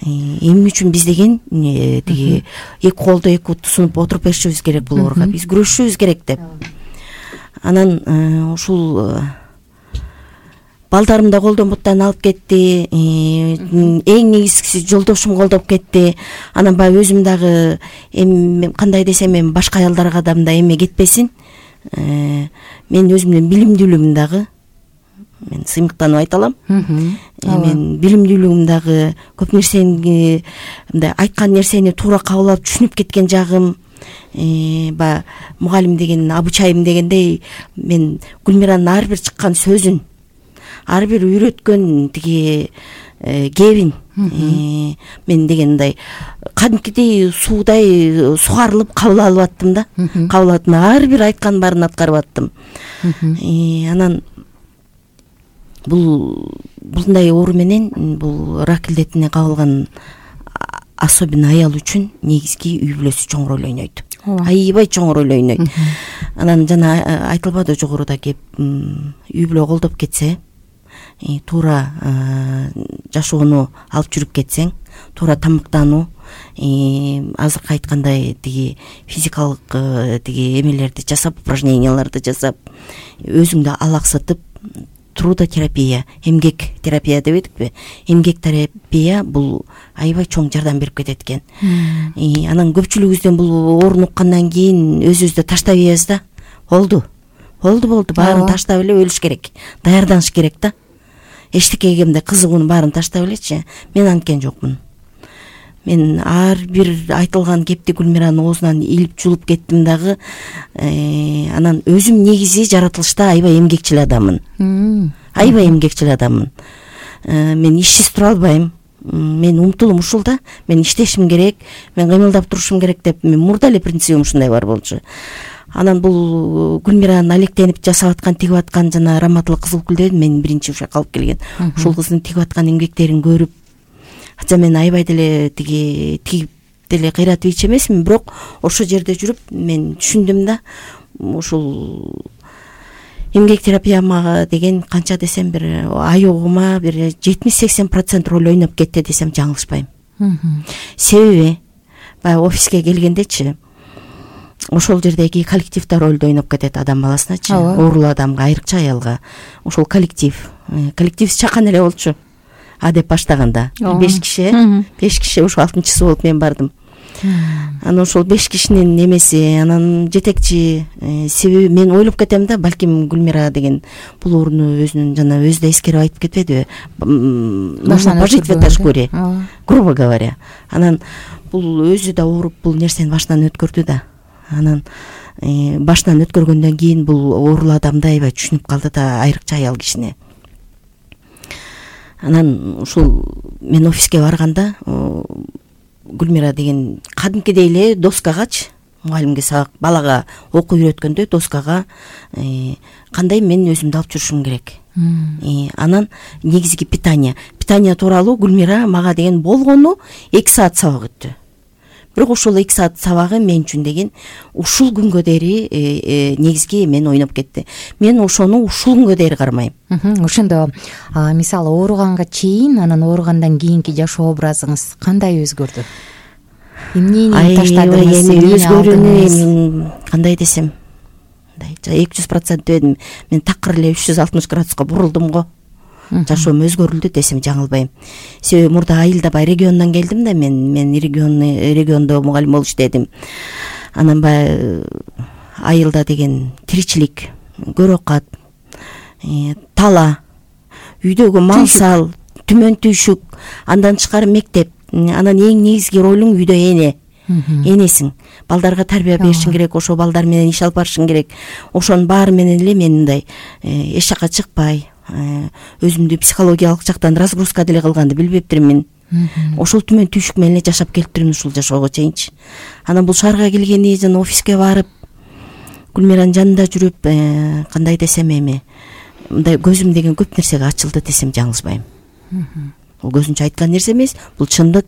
эмне үчүн биз деген тиги эки колдо эки буту сунуп отуруп беришибиз керек бул ооруга, биз күрөшүшүбүз керек деп. Анан ушул балдарым да колдон буттан алып кетти, эң негизгиси жолдошум колдоп кетти. Анан баягы өзүм дагы эми кандай десем эми башка аялдарга да мындай эме кетпесин, мен өзүмдүн билимдүүлүгүм дагы, мен сыймыктанып айта алам, мен билимдүүлүгүм дагы көп нерсени мындай айткан нерсени туура кабыл алып түшүнүп кеткен жагым, баягы мугалим деген обучайым дегендей, мен Гүлмиранын ар бир чыккан сөзүн, ар бир үйрөткөн тиги кебин мен дегендей кадимкидей суудай сугарылып кабыл алып аттым да, кабыл алып ар бир айткан баарын аткарып аттым. Анан бул мындай оору менен, бул рак илдетине кабылган особенно аял үчүн негизги үй бүлөсү чоң роль ойнойт, аябай чоң роль ойнойт. Анан жана айтылбады жогоруда кеп, үй бүлө колдоп кетсе, туура жашоону алып жүрүп кетсең, туура тамактануу, азыркы айткандай тиги физикалык тиги эмелерди жасап, упражненияларды жасап, өзүңдү алаксытып, трудотерапия, эмгек терапия деп эдикпи? Эмгек терапия бул аябай чоң жардам берип кетет экен. Анан көпчүлүгүбүздөн бул оорун уккандан кийин өзүбүздү таштап ийебиз да. Болду. Болду, болду, баарын таштап эле өлүш керек. Даярданыш керек да. Эчтекеге мындай кызыгуунун баарын таштап элечи. Мен анткен жокмун. Мен ар бир айтылган кепти Гүлмиранын оозунан илип жулуп кеттим дагы. Анан өзүм негизи жаратылышта аябай эмгекчил адаммын. Аябай эмгекчил адаммын. Мен ишсиз тура албайм. Мен умтулум ушул да. Мен иштешим керек, мен кыймылдап турушум керек деп мен мурда эле принцибим ушундай бар болчу. Анан бул Гүлмиранын алектенип жасап аткан, тигип аткан жана Раматылык Кызылгүл деп мен биринчи ушул калып келген. Ушул кыздын тигип аткан эмгектерин көрүп, атса мен аябай деле тиги тигип деле кыйратып ич эмесмин, бирок ошол жерде жүрүп мен түшүндүм да, ушул эмгек терапияма деген канча десем бир аягыма бир жетимиш сексен процент роль ойноп кетти десем жаңылышпайм. Себеби баягы офиске келгендечи, ошол жердеги коллективде ролду ойноп кетет адам баласыначы, оорулуу адамга, айрыкча аялга. Ошол коллектив, коллектив чакан эле болчу. А деп баштаганда беш киши, беш киши, ошо алтынчысы болуп мен бардым. Анан ошол беш кишинин немеси, анан жетекчи, себеби мен ойлоп кетем да, балким Гүлмира деген бул ооруну өзүнүн жана өзү да эскерип айтып кетпедиби? Нужно пожить в этой шкуре, грубо говоря. Анан бул өзү да ооруп бул нерсени башынан өткөрдү да. Анан башынан өткөргөндөн кийин бул оорулуу адамды аябай түшүнүп калды да, айрыкча аял кишини. Анан ушул мен офиске барганда Гүлмира деген кадимкидей эле доскагачы, мугалимге сабак, балага окуу үйрөткөндөй доскага кандай мен өзүмдү алып жүрүшүм керек. Анан негизги питание, питание тууралуу Гүлмира мага деген болгону эки саат сабак өттү. Бирок ошол эки саат сабагы мен үчүн деген ушул күнгө дейин негизги мен ойноп кетти. Мен ошону ушул күнгө дейин кармайм. Ошондо мисалы ооруганга чейин, анан ооругандан кийинки жашоо образыңыз кандай өзгөрдү? Эмнени таштадыңыз? Эми өзгөрүүнү кандай десем, мындай эки жүз процент дебедим. Мен такыр эле үч жүз алтымыш градуска бурулдум го. Жашоом өзгөрүлдү десем жаңылбайм. Себеби мурда Айылда бай региондон келдим да, мен мен регион региондо мугалим болуп иштедим. Анан бай Айылда деген тиричилик, көрөкат, тала, үйдөгү мал сал, түмөн түйшүк, андан тышкары мектеп, анан эң негизги ролуң үйдө эне. Энесиң. Балдарга тарбия беришиң керек, ошо балдар менен иш алып барышың керек. Ошонун баары менен эле мен мындай эч жака чыкпай, өзүмдү психологиялык жактан разгрузка деле кылганды билбептирмин. Ошол түмөн түйшүк менен эле жашап келиптирмин ушул жашоого чейинчи. Анан бул шаарга келгени жана офиске барып, Гүлмиранын жанында жүрүп, кандай десем эми, мындай көзүм деген көп нерсеге ачылды десем жаңылышпайм. Бул көзүнчө айткан нерсе эмес, бул чындык.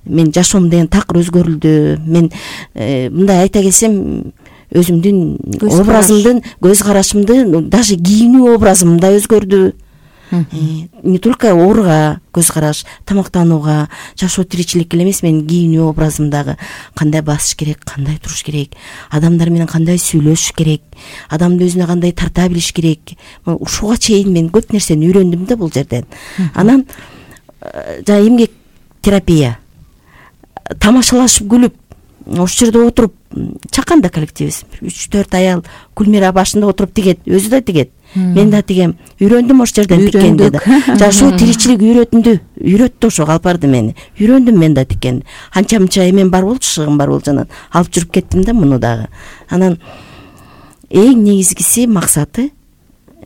Мен жашоом деген такыр өзгөрүлдү. Мен мындай айта келсем, өзүмдүн образымдын, көз карашымды, даже кийинүү образым да өзгөрдү. Не только ооруга көз караш, тамактанууга, жашоо тиричилик эле эмес, менин кийинүү образымдагы кандай басыш керек, кандай туруш керек, адамдар менен кандай сүйлөшүш керек, адамды өзүнө кандай тарта билиш керек, ушуга чейин мен көп нерсени үйрөндүм да бул жерден. Анан жана эмгек терапия, тамашалашып күлүп, ошол жерде отуруп, чакан да коллективибиз үч төрт аял Гүлмира башында отуруп тигет, өзү да тигет, мен да тигем. Үйрөндүм ошол жерден тиккенди да. Жашоо тиричилик үйрөтүндү, үйрөттү ошо калпарды мени. Үйрөндүм мен да тиккенди. Анча мынча эмем бар болчу, шыгым бар болчу, анан алып жүрүп кеттим да муну дагы. Анан эң негизгиси максаты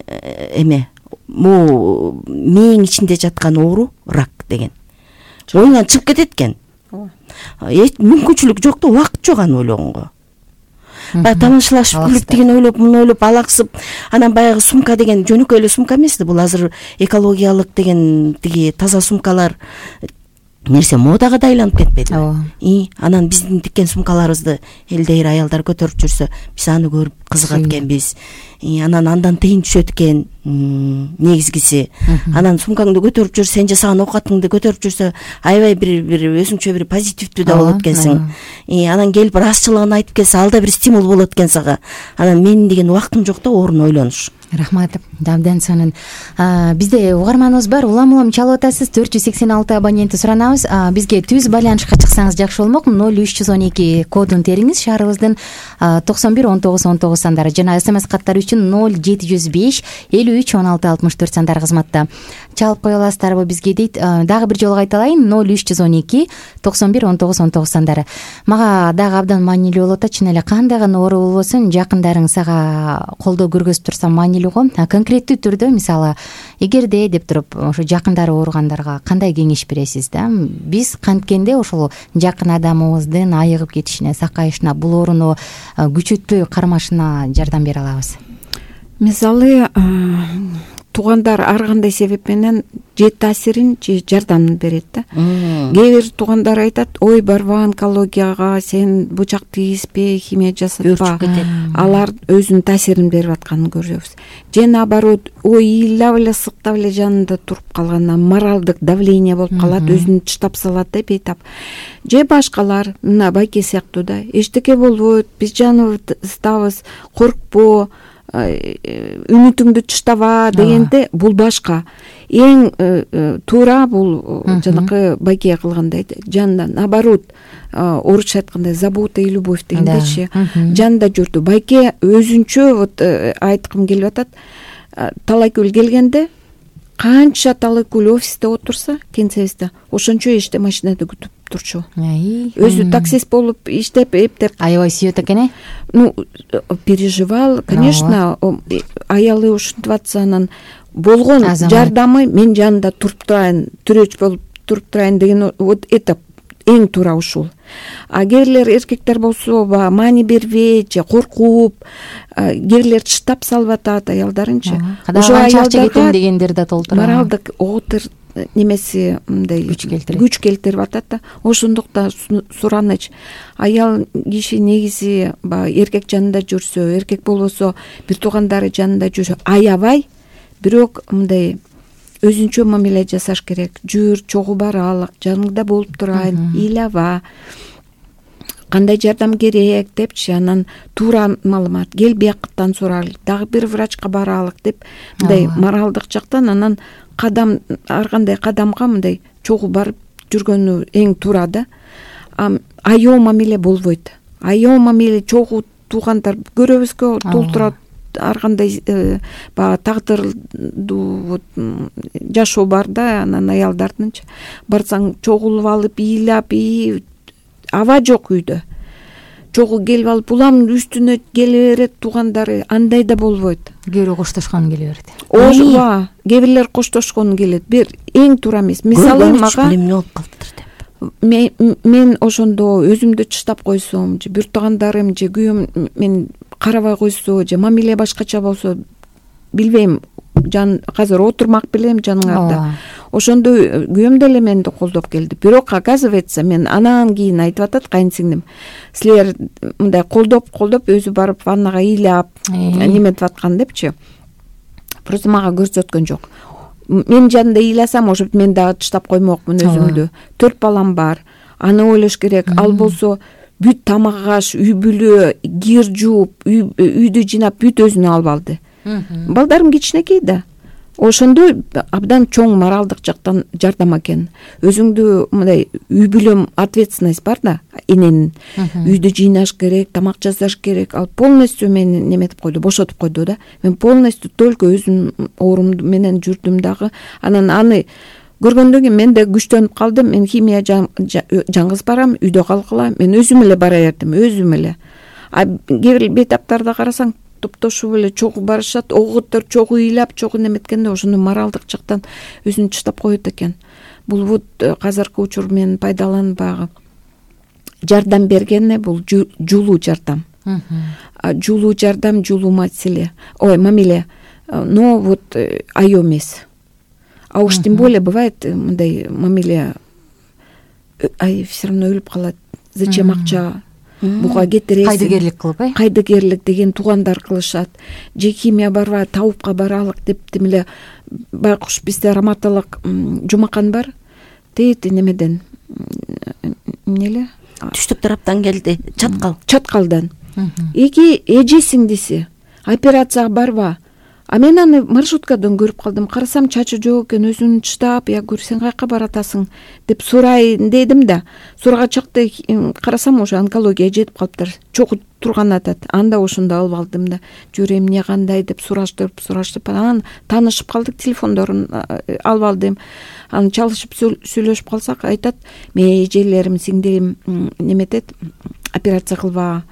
эме, бул мээң ичинде жаткан оору рак деген. Оюңан чыгып кетет экен. Эч мүмкүнчүлүк жок да, убакыт жок аны ойлогонго. Баягы тамашалашып күлүп, деген ойлоп, муну ойлоп, алаксып, анан баягы сумка деген жөнөкөй эле сумка эмес да, бул азыр экологиялык деген тиги таза сумкалар нерсе модага да айланып кетпеди. И анан биздин тиккен сумкаларыбызды элдейр аялдар көтөрүп жүрсө, биз аны көрүп кызыгат экенбиз. Анан андан тыйын түшөт экен негизгиси. Анан сумкаңды көтөрүп жүр, сен жасаган оокатыңды көтөрүп жүрсө, аябай бир бир өзүңчө бир позитивдүү да болот экенсиң. Анан келип ырасчылыгын айтып келсе, ал да бир стимул болот экен сага. Анан менин деген убактым жок да, орун ойлонуш. Рахмат, абдан сонун. Бизде угарманыбыз бар, улам улам чалып атасыз. төрт жүз сексен алты абонентти суранабыз. Бизге түз байланышка чыксаңыз жакшы болмок. ноль үч жүз он эки кодун териңиз, шаарыбыздын токсон бир он тогуз он тогуз сандары жана смс каттар үчүн ноль жети жүз беш элүү үч он алты алтымыш төрт сандары кызматта. Чалып кое аласыздарбы бизге дейт. Дагы бир жолу кайталайын, ноль үч жүз он эки токсон бир он тогуз он тогуз сандары. Мага дагы абдан маанилүү болуп атат, чын эле кандай гана оору болбосун, жакындарың сага колдоо көргөзүп турса маанилүү го. Конкреттүү түрдө, мисалы, эгерде деп туруп ошо жакындары ооругандарга кандай кеңеш бересиз да? Биз канткенде ошол жакын адамыбыздын айыгып кетишине, сакайышына, бул ооруну күчөтпөй кармашына жардам бере алабыз. Мисалы, туугандар ар кандай себеп менен же таасирин же жардамын берет да. Кээ бир туугандар айтат, ой барба онкологияга, сен бучак тийиспе, химия жасатпа. Алар өзүнүн таасирин берип атканын көрөбүз. Же наоборот, ой ыйлап эле сыктап эле жанында туруп калган, моралдык давление болуп калат, өзүн тыштап салат да бейтап. Же башкалар, мына байке сыяктуу да, эчтеке болбойт, биз жаныбыздабыз, коркпо, үмүтүңдү тыштаба дегенде, бул башка. Эң туура бул жанакы байке кылгандай, жанында наоборот, орусча айткандай забота и любовь дегендечи, жанында жүрдү. Байке өзүнчө вот айткым келип атат, талайкөл келгенде канча талайкөл офисте отурса, кеңсебизде, ошончо иште машинада күтүп турчу. Өзү таксист болуп иштеп, эптеп. Аябай сүйөт экен, э? Ну, переживал, конечно, аялы ушинтип атса, анан болгон жардамы мен жанында туруп турайын, түрөч болуп туруп турайын деген вот это эң туура ушул. А кээрлер эркектер болсо, маани бербей же коркуп, кээрлер тыштап салып атат аялдарынчы. Ошо аялдарга кетем дегендер да толтура. Моралдык оготыр немеси мындай күч келтирип атат да. Ошондуктан сураныч, аял киши негизи эркек жанында жүрсө, эркек болбосо бир туугандары жанында жүрсө, аябай, бирок мындай өзүнчө мамиле жасаш керек. Жүр, чогуу баралык, жаныңда болуп турайын, ыйлаба, кандай жардам керек депчи, анан туура маалымат, кел биякыттан сурайлы, дагы бир врачка баралык деп, мындай моралдык жактан анан кадам, ар кандай кадамга мындай чогуу барып жүргөнү эң туура да. Аяоо мамиле болбойт. Аяоо мамиле чогуу туугандар көрөбүзгө толтурат, ар кандай баягы тагдырдуу жашоо бар да, анан аялдардынчы. Барсаң чогулуп алып, ыйлап, аба жок үйдө. Чогуу келип алып, уламдын үстүнө келе берет туугандары, андай да болбойт. Кээ бирөө коштошкон келе берет. Ооба, кээ бирлер коштошкон келет. Бир эң туура эмес. Мисалы мага эмне болуп калыптыр деп. Мен ошондо өзүмдү тыштап койсом, же бир туугандарым, же күйөөм мен карабай койсо, же мамиле башкача болсо, билбейм, жан азыр отурмак белем жаныңарда. Ошондо күйөөм деле мени колдоп келди. Бирок оказывается, мен анан кийин айтып атат кайынсиңдим, силер мындай колдоп колдоп өзү барып ваннага ыйлап неметип аткан депчи. Просто мага көрсөткөн жок. мен жанында ыйласам, может мен дагы тыштап коймокмун өзүмдү. Төрт балам бар, аны ойлош керек. Ал болсо бүт тамак аш, үй бүлө, кир жууп, үйдү жыйнап бүт өзүнө алып алды. Балдарым кичинекей да. Ошондо абдан чоң моралдык жактан жардам экен. Өзүңдү мындай үй бүлөм ответственность бар да, эненин. Үйдү жыйнаш керек, тамак жасаш керек. Ал полностью мени неметип койду, бошотуп койду да. Мен полностью только өзүм оорум менен жүрдүм дагы. Анан аны көргөндөн кийин мен да күчтөнүп калдым. Мен химия жалгыз барам, үйдө калгыла. Мен өзүм эле бара бердим, өзүм эле. А кээ бир бейтаптарда карасаң, топтошуп эле чогуу барышат, огуттар чогуу ыйлап, чогуу неметкенде ошону моралдык жактан өзүн тыштап коет экен. Бул вот азыркы учур менен пайдаланып баягы жардам бергене бул жулуу жардам. Жулуу жардам, жулуу маселе. Ой, мамиле. Но вот айоо эмес. А уж тем более бывает мындай мамиле, ай все равно өлүп калат. Зачем акча? Буга кетиресиң. Кайдыгерлик кылып, э? Кайдыгерлик деген туугандар кылышат. Же химия барба, табупка баралык деп демеле байкуш бизде раматалык Жумакан бар. Тейт немеден эмнеле? Түштүк тараптан келди. Чаткал. Чаткалдан. Эки эже сиңдиси операцияга барба. А мен аны маршруткадан көрүп калдым. Карасам чачы жок экен, өзүн тыштап, я говорю, сен кайка баратасың деп сурайын дедим да. Сурагачакты карасам уже онкология жетип калыптыр. Чогуу турган атат. Анда ошондо алып алдым да. Жүрө эмне кандай деп сураштырып, сураштырып анан таанышып калдык, телефондорун алып алдым. Аны чалышып сүйлөшүп калсак, айтат, мен эжелерим, сиңдилим неметет, операция кылба.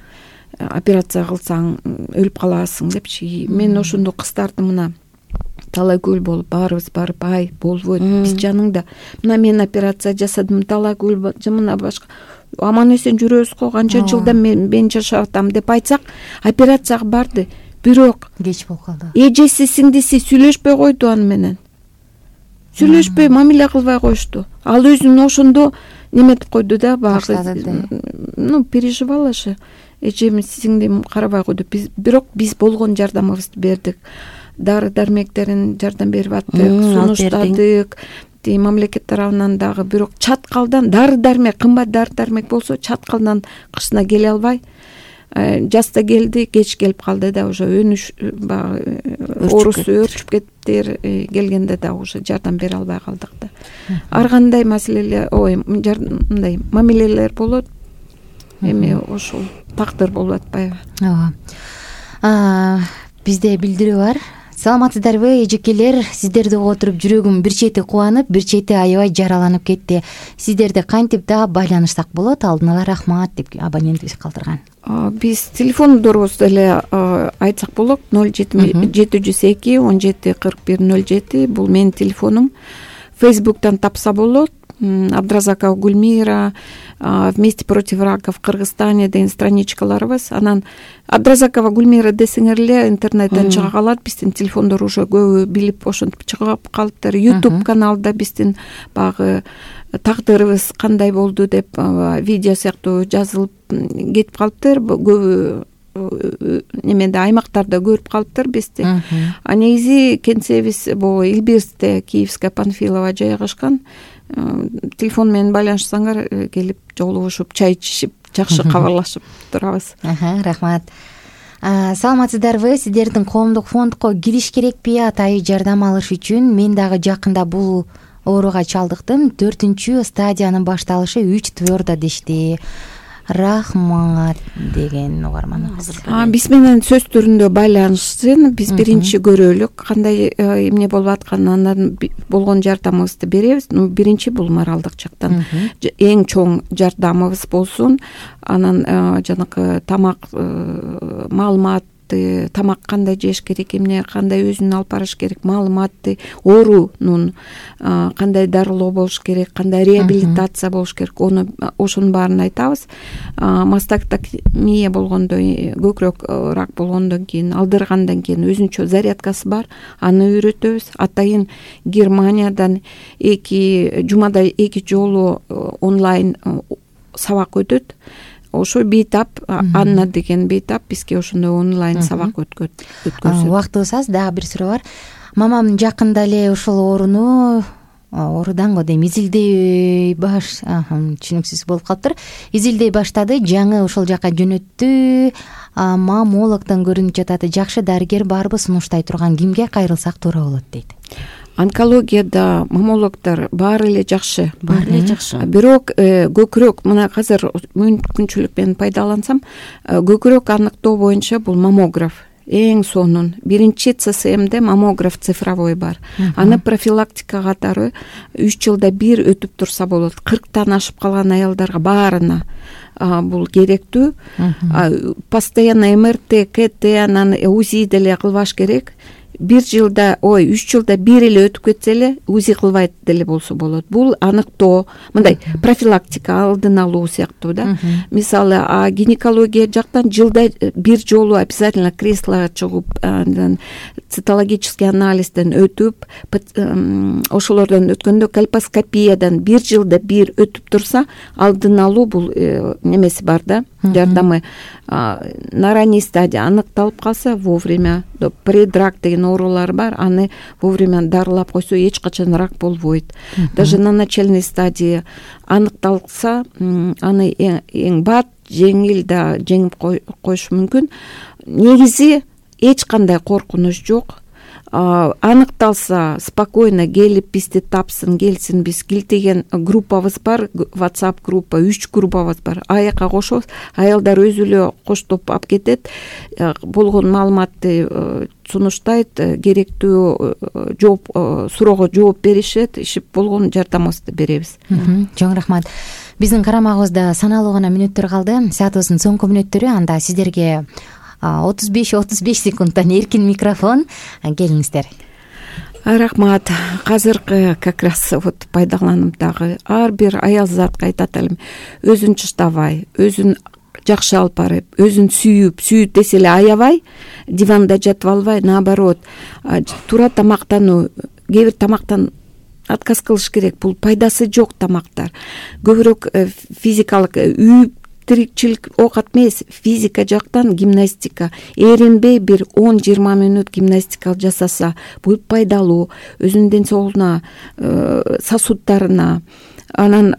Операция кылсаң өлүп каласың депчи. Мен ошондо кыздарды мына талай көл болуп баарыбыз барып, ай болбойт, биз жаныңда. Мына мен операция жасадым, талай көл мына башка. Аман эсен жүрөбүз го, канча жылда мен мен жашап атам деп айтсак, операцияга барды. Бирок кеч болуп калды. Эжеси, сиңдиси сүйлөшпөй койду аны менен. Сүйлөшпөй, мамиле кылбай коюшту. Ал өзүн ошондо неметип койду да, багы. Ну, переживала же. Эжем, сиңдим карабай койду. Биз бирок биз болгон жардамыбызды бердик. Дары дармектерин жардам берип аттык, сунуштадык. Тиги мамлекет тарабынан дагы, бирок чаткалдан дары дармек, кымбат дары дармек болсо, чаткалдан кышына келе албай, жазда келди, кеч келип калды да, уже өнүш баягы оорусу өрчүп кеттир, келгенде да уже жардам бере албай калдык да. Ар кандай маселелер, ой, мындай мамилелер болот. Эми ошол тагдыр болуп атпайбы? Ооба. Бизде билдирүү бар. Саламатсыздарбы, эжекелер? Сиздерди угуп отуруп жүрөгүм бир чети кубанып, бир чети аябай жараланып кетти. Сиздерди кантип да байланышсак болот? Алдын ала рахмат деп абонентибиз калтырган. Биз телефондорубузду эле айтсак болот. ноль жети жүз эки он жети кырк бир ноль жети. Бул менин телефонум. Фейсбуктан тапса болот. Абдразакова Гульмира, вместе против рака в Кыргызстане деген страничкаларыбыз. Анан Абдразакова Гульмира десеңер эле интернеттен чыга калат. Биздин телефондор уже көбү билип ошентип чыгып калыптыр. YouTube каналда биздин багы тагдырыбыз кандай болду деп видео сыяктуу жазылып кетип калыптыр. Көбү немеде аймактарда көрүп калыптыр бизди. А негизи кеңсебиз бул Илбирсте, Киевская Панфилова жайгашкан. Телефон менен байланышсаңар келип жолугушуп, чай ичишип, жакшы кабарлашып турабыз. Рахмат. Саламатсыздарбы? Сиздердин коомдук фондко кириш керекпи? Атайы жардам алыш үчүн мен дагы жакында бул ооруга чалдыктым. Төртүнчү стадиянын башталышы үч твердо дешти. Рахмат деген угарманыбыз. Биз менен сөз түрүндө байланышсын. Биз биринчи көрөлүк кандай эмне болуп атканын, андан болгон жардамыбызды беребиз. Ну, биринчи бул моралдык жактан эң чоң жардамыбыз болсун. Анан жанакы тамак маалымат, тамак кандай жеш керек, эмне кандай өзүн алып барыш керек, маалыматты, оорунун кандай дарылоо болуш керек, кандай реабилитация болуш керек, ону ошонун баарын айтабыз. Мастектомия болгондо, көкүрөк рак болгондон кийин, алдыргандан кийин өзүнчө зарядкасы бар, аны үйрөтөбүз. Атайын Германиядан эки жумада эки жолу онлайн сабак өтөт. Ошо бейтап, Анна деген бейтап бизге ошондой онлайн сабак өткөзөт. Убактыбыз аз, дагы бир суроо бар. мамам жакында эле ушул ооруну оорудан го дейм изилдей баш түшүнүксүз болуп калыптыр. Изилдей баштады, жаңы ошол жака жөнөттү. Маммологдон көрүнүп жатат. Жакшы дарыгер барбы, сунуштай турган кимге кайрылсак туура болот дейт. Онкологияда маммологдор баары эле жакшы, баары эле жакшы. Бирок көкүрөк мына азыр мүмкүнчүлүк менен пайдалансам, көкүрөк аныктоо боюнча бул маммограф эң сонун. Биринчи ЦСМде маммограф цифровой бар. Аны профилактика катары үч жылда бир өтүп турса болот. кырктан ашып калган аялдарга баарына бул керектүү. Постоянно МРТ, КТ, анан УЗИ деле кылбаш керек. Бир жылда, ой, үч жылда бир эле өтүп кетсе эле УЗИ кылбайт деле болсо болот. Бул аныктоо, мындай профилактика, алдын алуу сыяктуу да. Мисалы, а гинекология жактан жылда бир жолу обязательно креслого чыгып, андан цитологический анализден өтүп, ошолордон өткөндө кольпоскопиядан бир жылда бир өтүп турса, алдын алуу бул немеси бар да, жардамы. На ранней стадии аныкталып калса, вовремя, предрак деген оорулар бар, аны вовремя дарылап койсо эч качан рак болбойт. Даже на начальной стадии аныкталса, аны эң бат, жеңил да жеңип коюш мүмкүн. Негизи эч кандай коркунуч жок. Аныкталса спокойно келип бизди тапсын, келсин. Биз килтеген группабыз бар, WhatsApp группа, үч группабыз бар. Аяка кошобуз, аялдар өзү эле коштоп алып кетет, болгон маалыматты сунуштайт, керектүү жооп суроого жооп беришет, ишип болгон жардамыбызды беребиз. Чоң рахмат. Биздин карамагыбызда саналуу гана мүнөттөр калды. Саатыбыздын соңку мүнөттөрү, анда сиздерге отуз беш отуз беш секундтан эркин микрофон. Келиңиздер. Рахмат. Азыркы как раз вот пайдаланып дагы ар бир аял затка айтат элем, өзүн чыштабай, өзүн жакшы алып барып, өзүн сүйүп, сүйүп десе эле аябай, диванда жатып албай, наоборот, туура тамактануу, кээ бир тамактан отказ кылыш керек. Бул пайдасы жок тамактар. Көбүрөөк физикалык үйүп тирикчилик оокат эмес, физика жактан гимнастика, эринбей бир он жыйырма мүнөт гимнастика жасаса, бул пайдалуу, өзүнүн ден соолугуна, сосудтарына, анан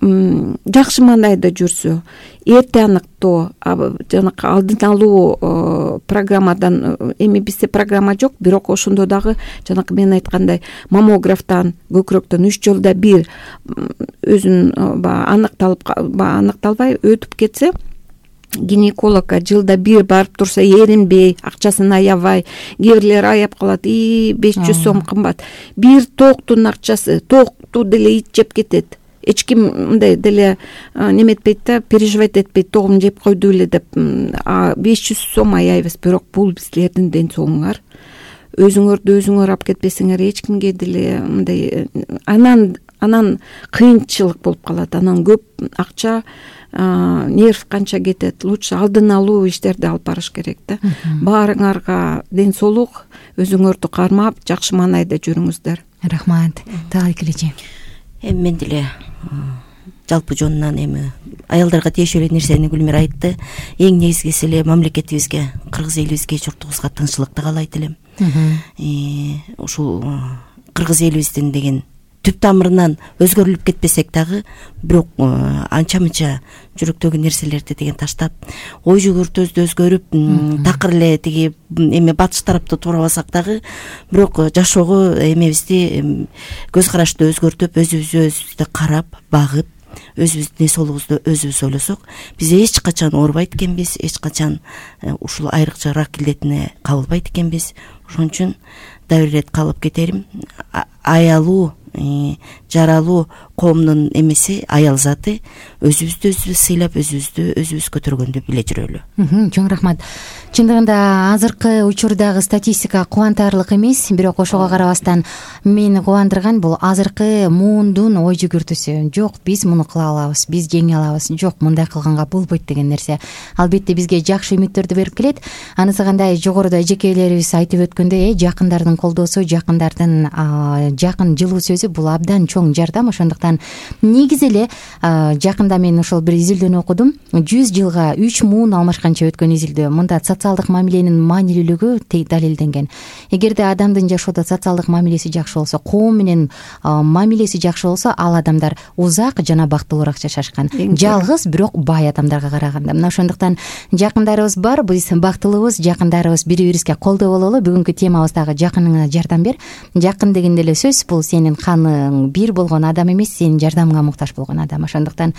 жакшы мандайда жүрсө, эрте аныктоо, жанакы алдын алуу программадан, эми бизде программа жок, бирок ошондо дагы жанакы мен айткандай маммографтан, көкүрөктөн үч жылда бир өзүн аныкталып, аныкталбай өтүп кетсе, гинекологко жылда бир барып турса, эринбей, акчасын аябай, кээ бирлер аяп калат, и беш жүз сом кымбат. Бир токтун акчасы, токту деле ит жеп кетет. Эч ким мындай деле неметпейт да, переживать этпейт, тогун жеп койду эле деп. А беш жүз сом аяйбыз, бирок бул силердин ден соолугуңар. Өзүңөрдү өзүңөр алып кетпесеңер, эч кимге деле мындай анан анан кыйынчылык болуп калат. Анан көп акча, нерв канча кетет. Лучше алдын алуу иштерди алып барыш керек да. Баарыңарга ден соолук, өзүңөрдү кармап, жакшы маанайда жүрүңүздөр. Рахмат. Таалай келечи. Эми мен деле жалпы жонунан эми аялдарга тиешелүү нерсени Гүлмира айтты. Эң негизгиси эле мамлекетибизге, кыргыз элибизге, журтубузга тынччылыкты каалайт элем. Ушул кыргыз элибиздин деген түп тамырынан өзгөрүлүп кетпесек дагы, бирок анча мынча жүрөктөгү нерселерди деген таштап, ой жүгүртүбүздү өзгөрүп, такыр эле тиги эме батыш тарапты туурабасак дагы, бирок жашоого эмебизди, көз карашты өзгөртүп, өзүбүздү өзүбүздү карап, багып, өзүбүздүн ден соолугубузду өзүбүз ойлосок, биз эч качан оорубайт экенбиз, эч качан ушул айрыкча рак илдетине кабылбайт экенбиз. Ошон үчүн дагы бир ирет калып кетерим, аялуу, жаралуу коомдун эмеси, аял заты, өзүбүздү өзүбүз сыйлап, өзүбүздү өзүбүз көтөргөндү биле жүрөлү. Чоң рахмат. Чындыгында азыркы учурдагы статистика кубантарлык эмес, бирок ошого карабастан мени кубандырган бул азыркы муундун ой жүгүртүүсү. Жок, биз муну кыла алабыз, биз жеңе алабыз, жок, мындай кылганга болбойт деген нерсе. Албетте бизге жакшы үмүттөрдү берип келет. Анысы кандай, жогоруда эжекейлерибиз айтып өткөндөй, жакындардын колдоосу, жакындардын жакын жылуу сөзү өзү бул абдан чоң жардам. Ошондуктан негизи эле жакында мен ошол бир изилдөөнү окудум. жүз жылга үч муун алмашканча өткөн изилдөө. Мында социалдык мамиленин маанилүүлүгү далилденген. Эгерде адамдын жашоодо социалдык мамилеси жакшы болсо, коом менен мамилеси жакшы болсо, ал адамдар узак жана бактылуураак жашашкан. Жалгыз бирок бай адамдарга караганда. Мына ошондуктан жакындарыбыз бар, биз бактылуубуз, жакындарыбыз бири-бирибизге колдоо бололу. Бүгүнкү темабыз дагы жакыныңа жардам бер. Жакын дегенде эле сөз бул сенин каның бир болгон адам эмес, сенин жардамыңа муктаж болгон адам. Ошондуктан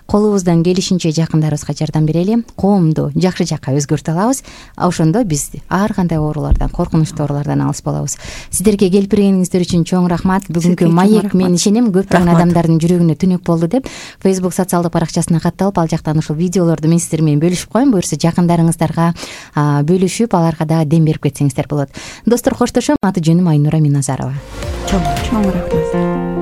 колубуздан келишинче жакындарыбызга жардам берели, коомду жакшы жакка өзгөртө алабыз. Ошондо биз ар кандай оорулардан, коркунучтуу оорулардан алыс болобуз. Сиздерге келип бергениңиздер үчүн чоң рахмат. Бүгүнкү маек мен ишенем көптөгөн адамдардын жүрөгүнө түнөк болду деп Facebook социалдык баракчасына катталып, ал жактан ушул видеолорду мен сиздер менен бөлүшүп коем. Буюрса жакындарыңыздарга бөлүшүп, аларга дагы дем берип кетсеңиздер болот. Достор, коштошом. Аты жөнүм Айнура Миназарова. Чоң чоң рахмат.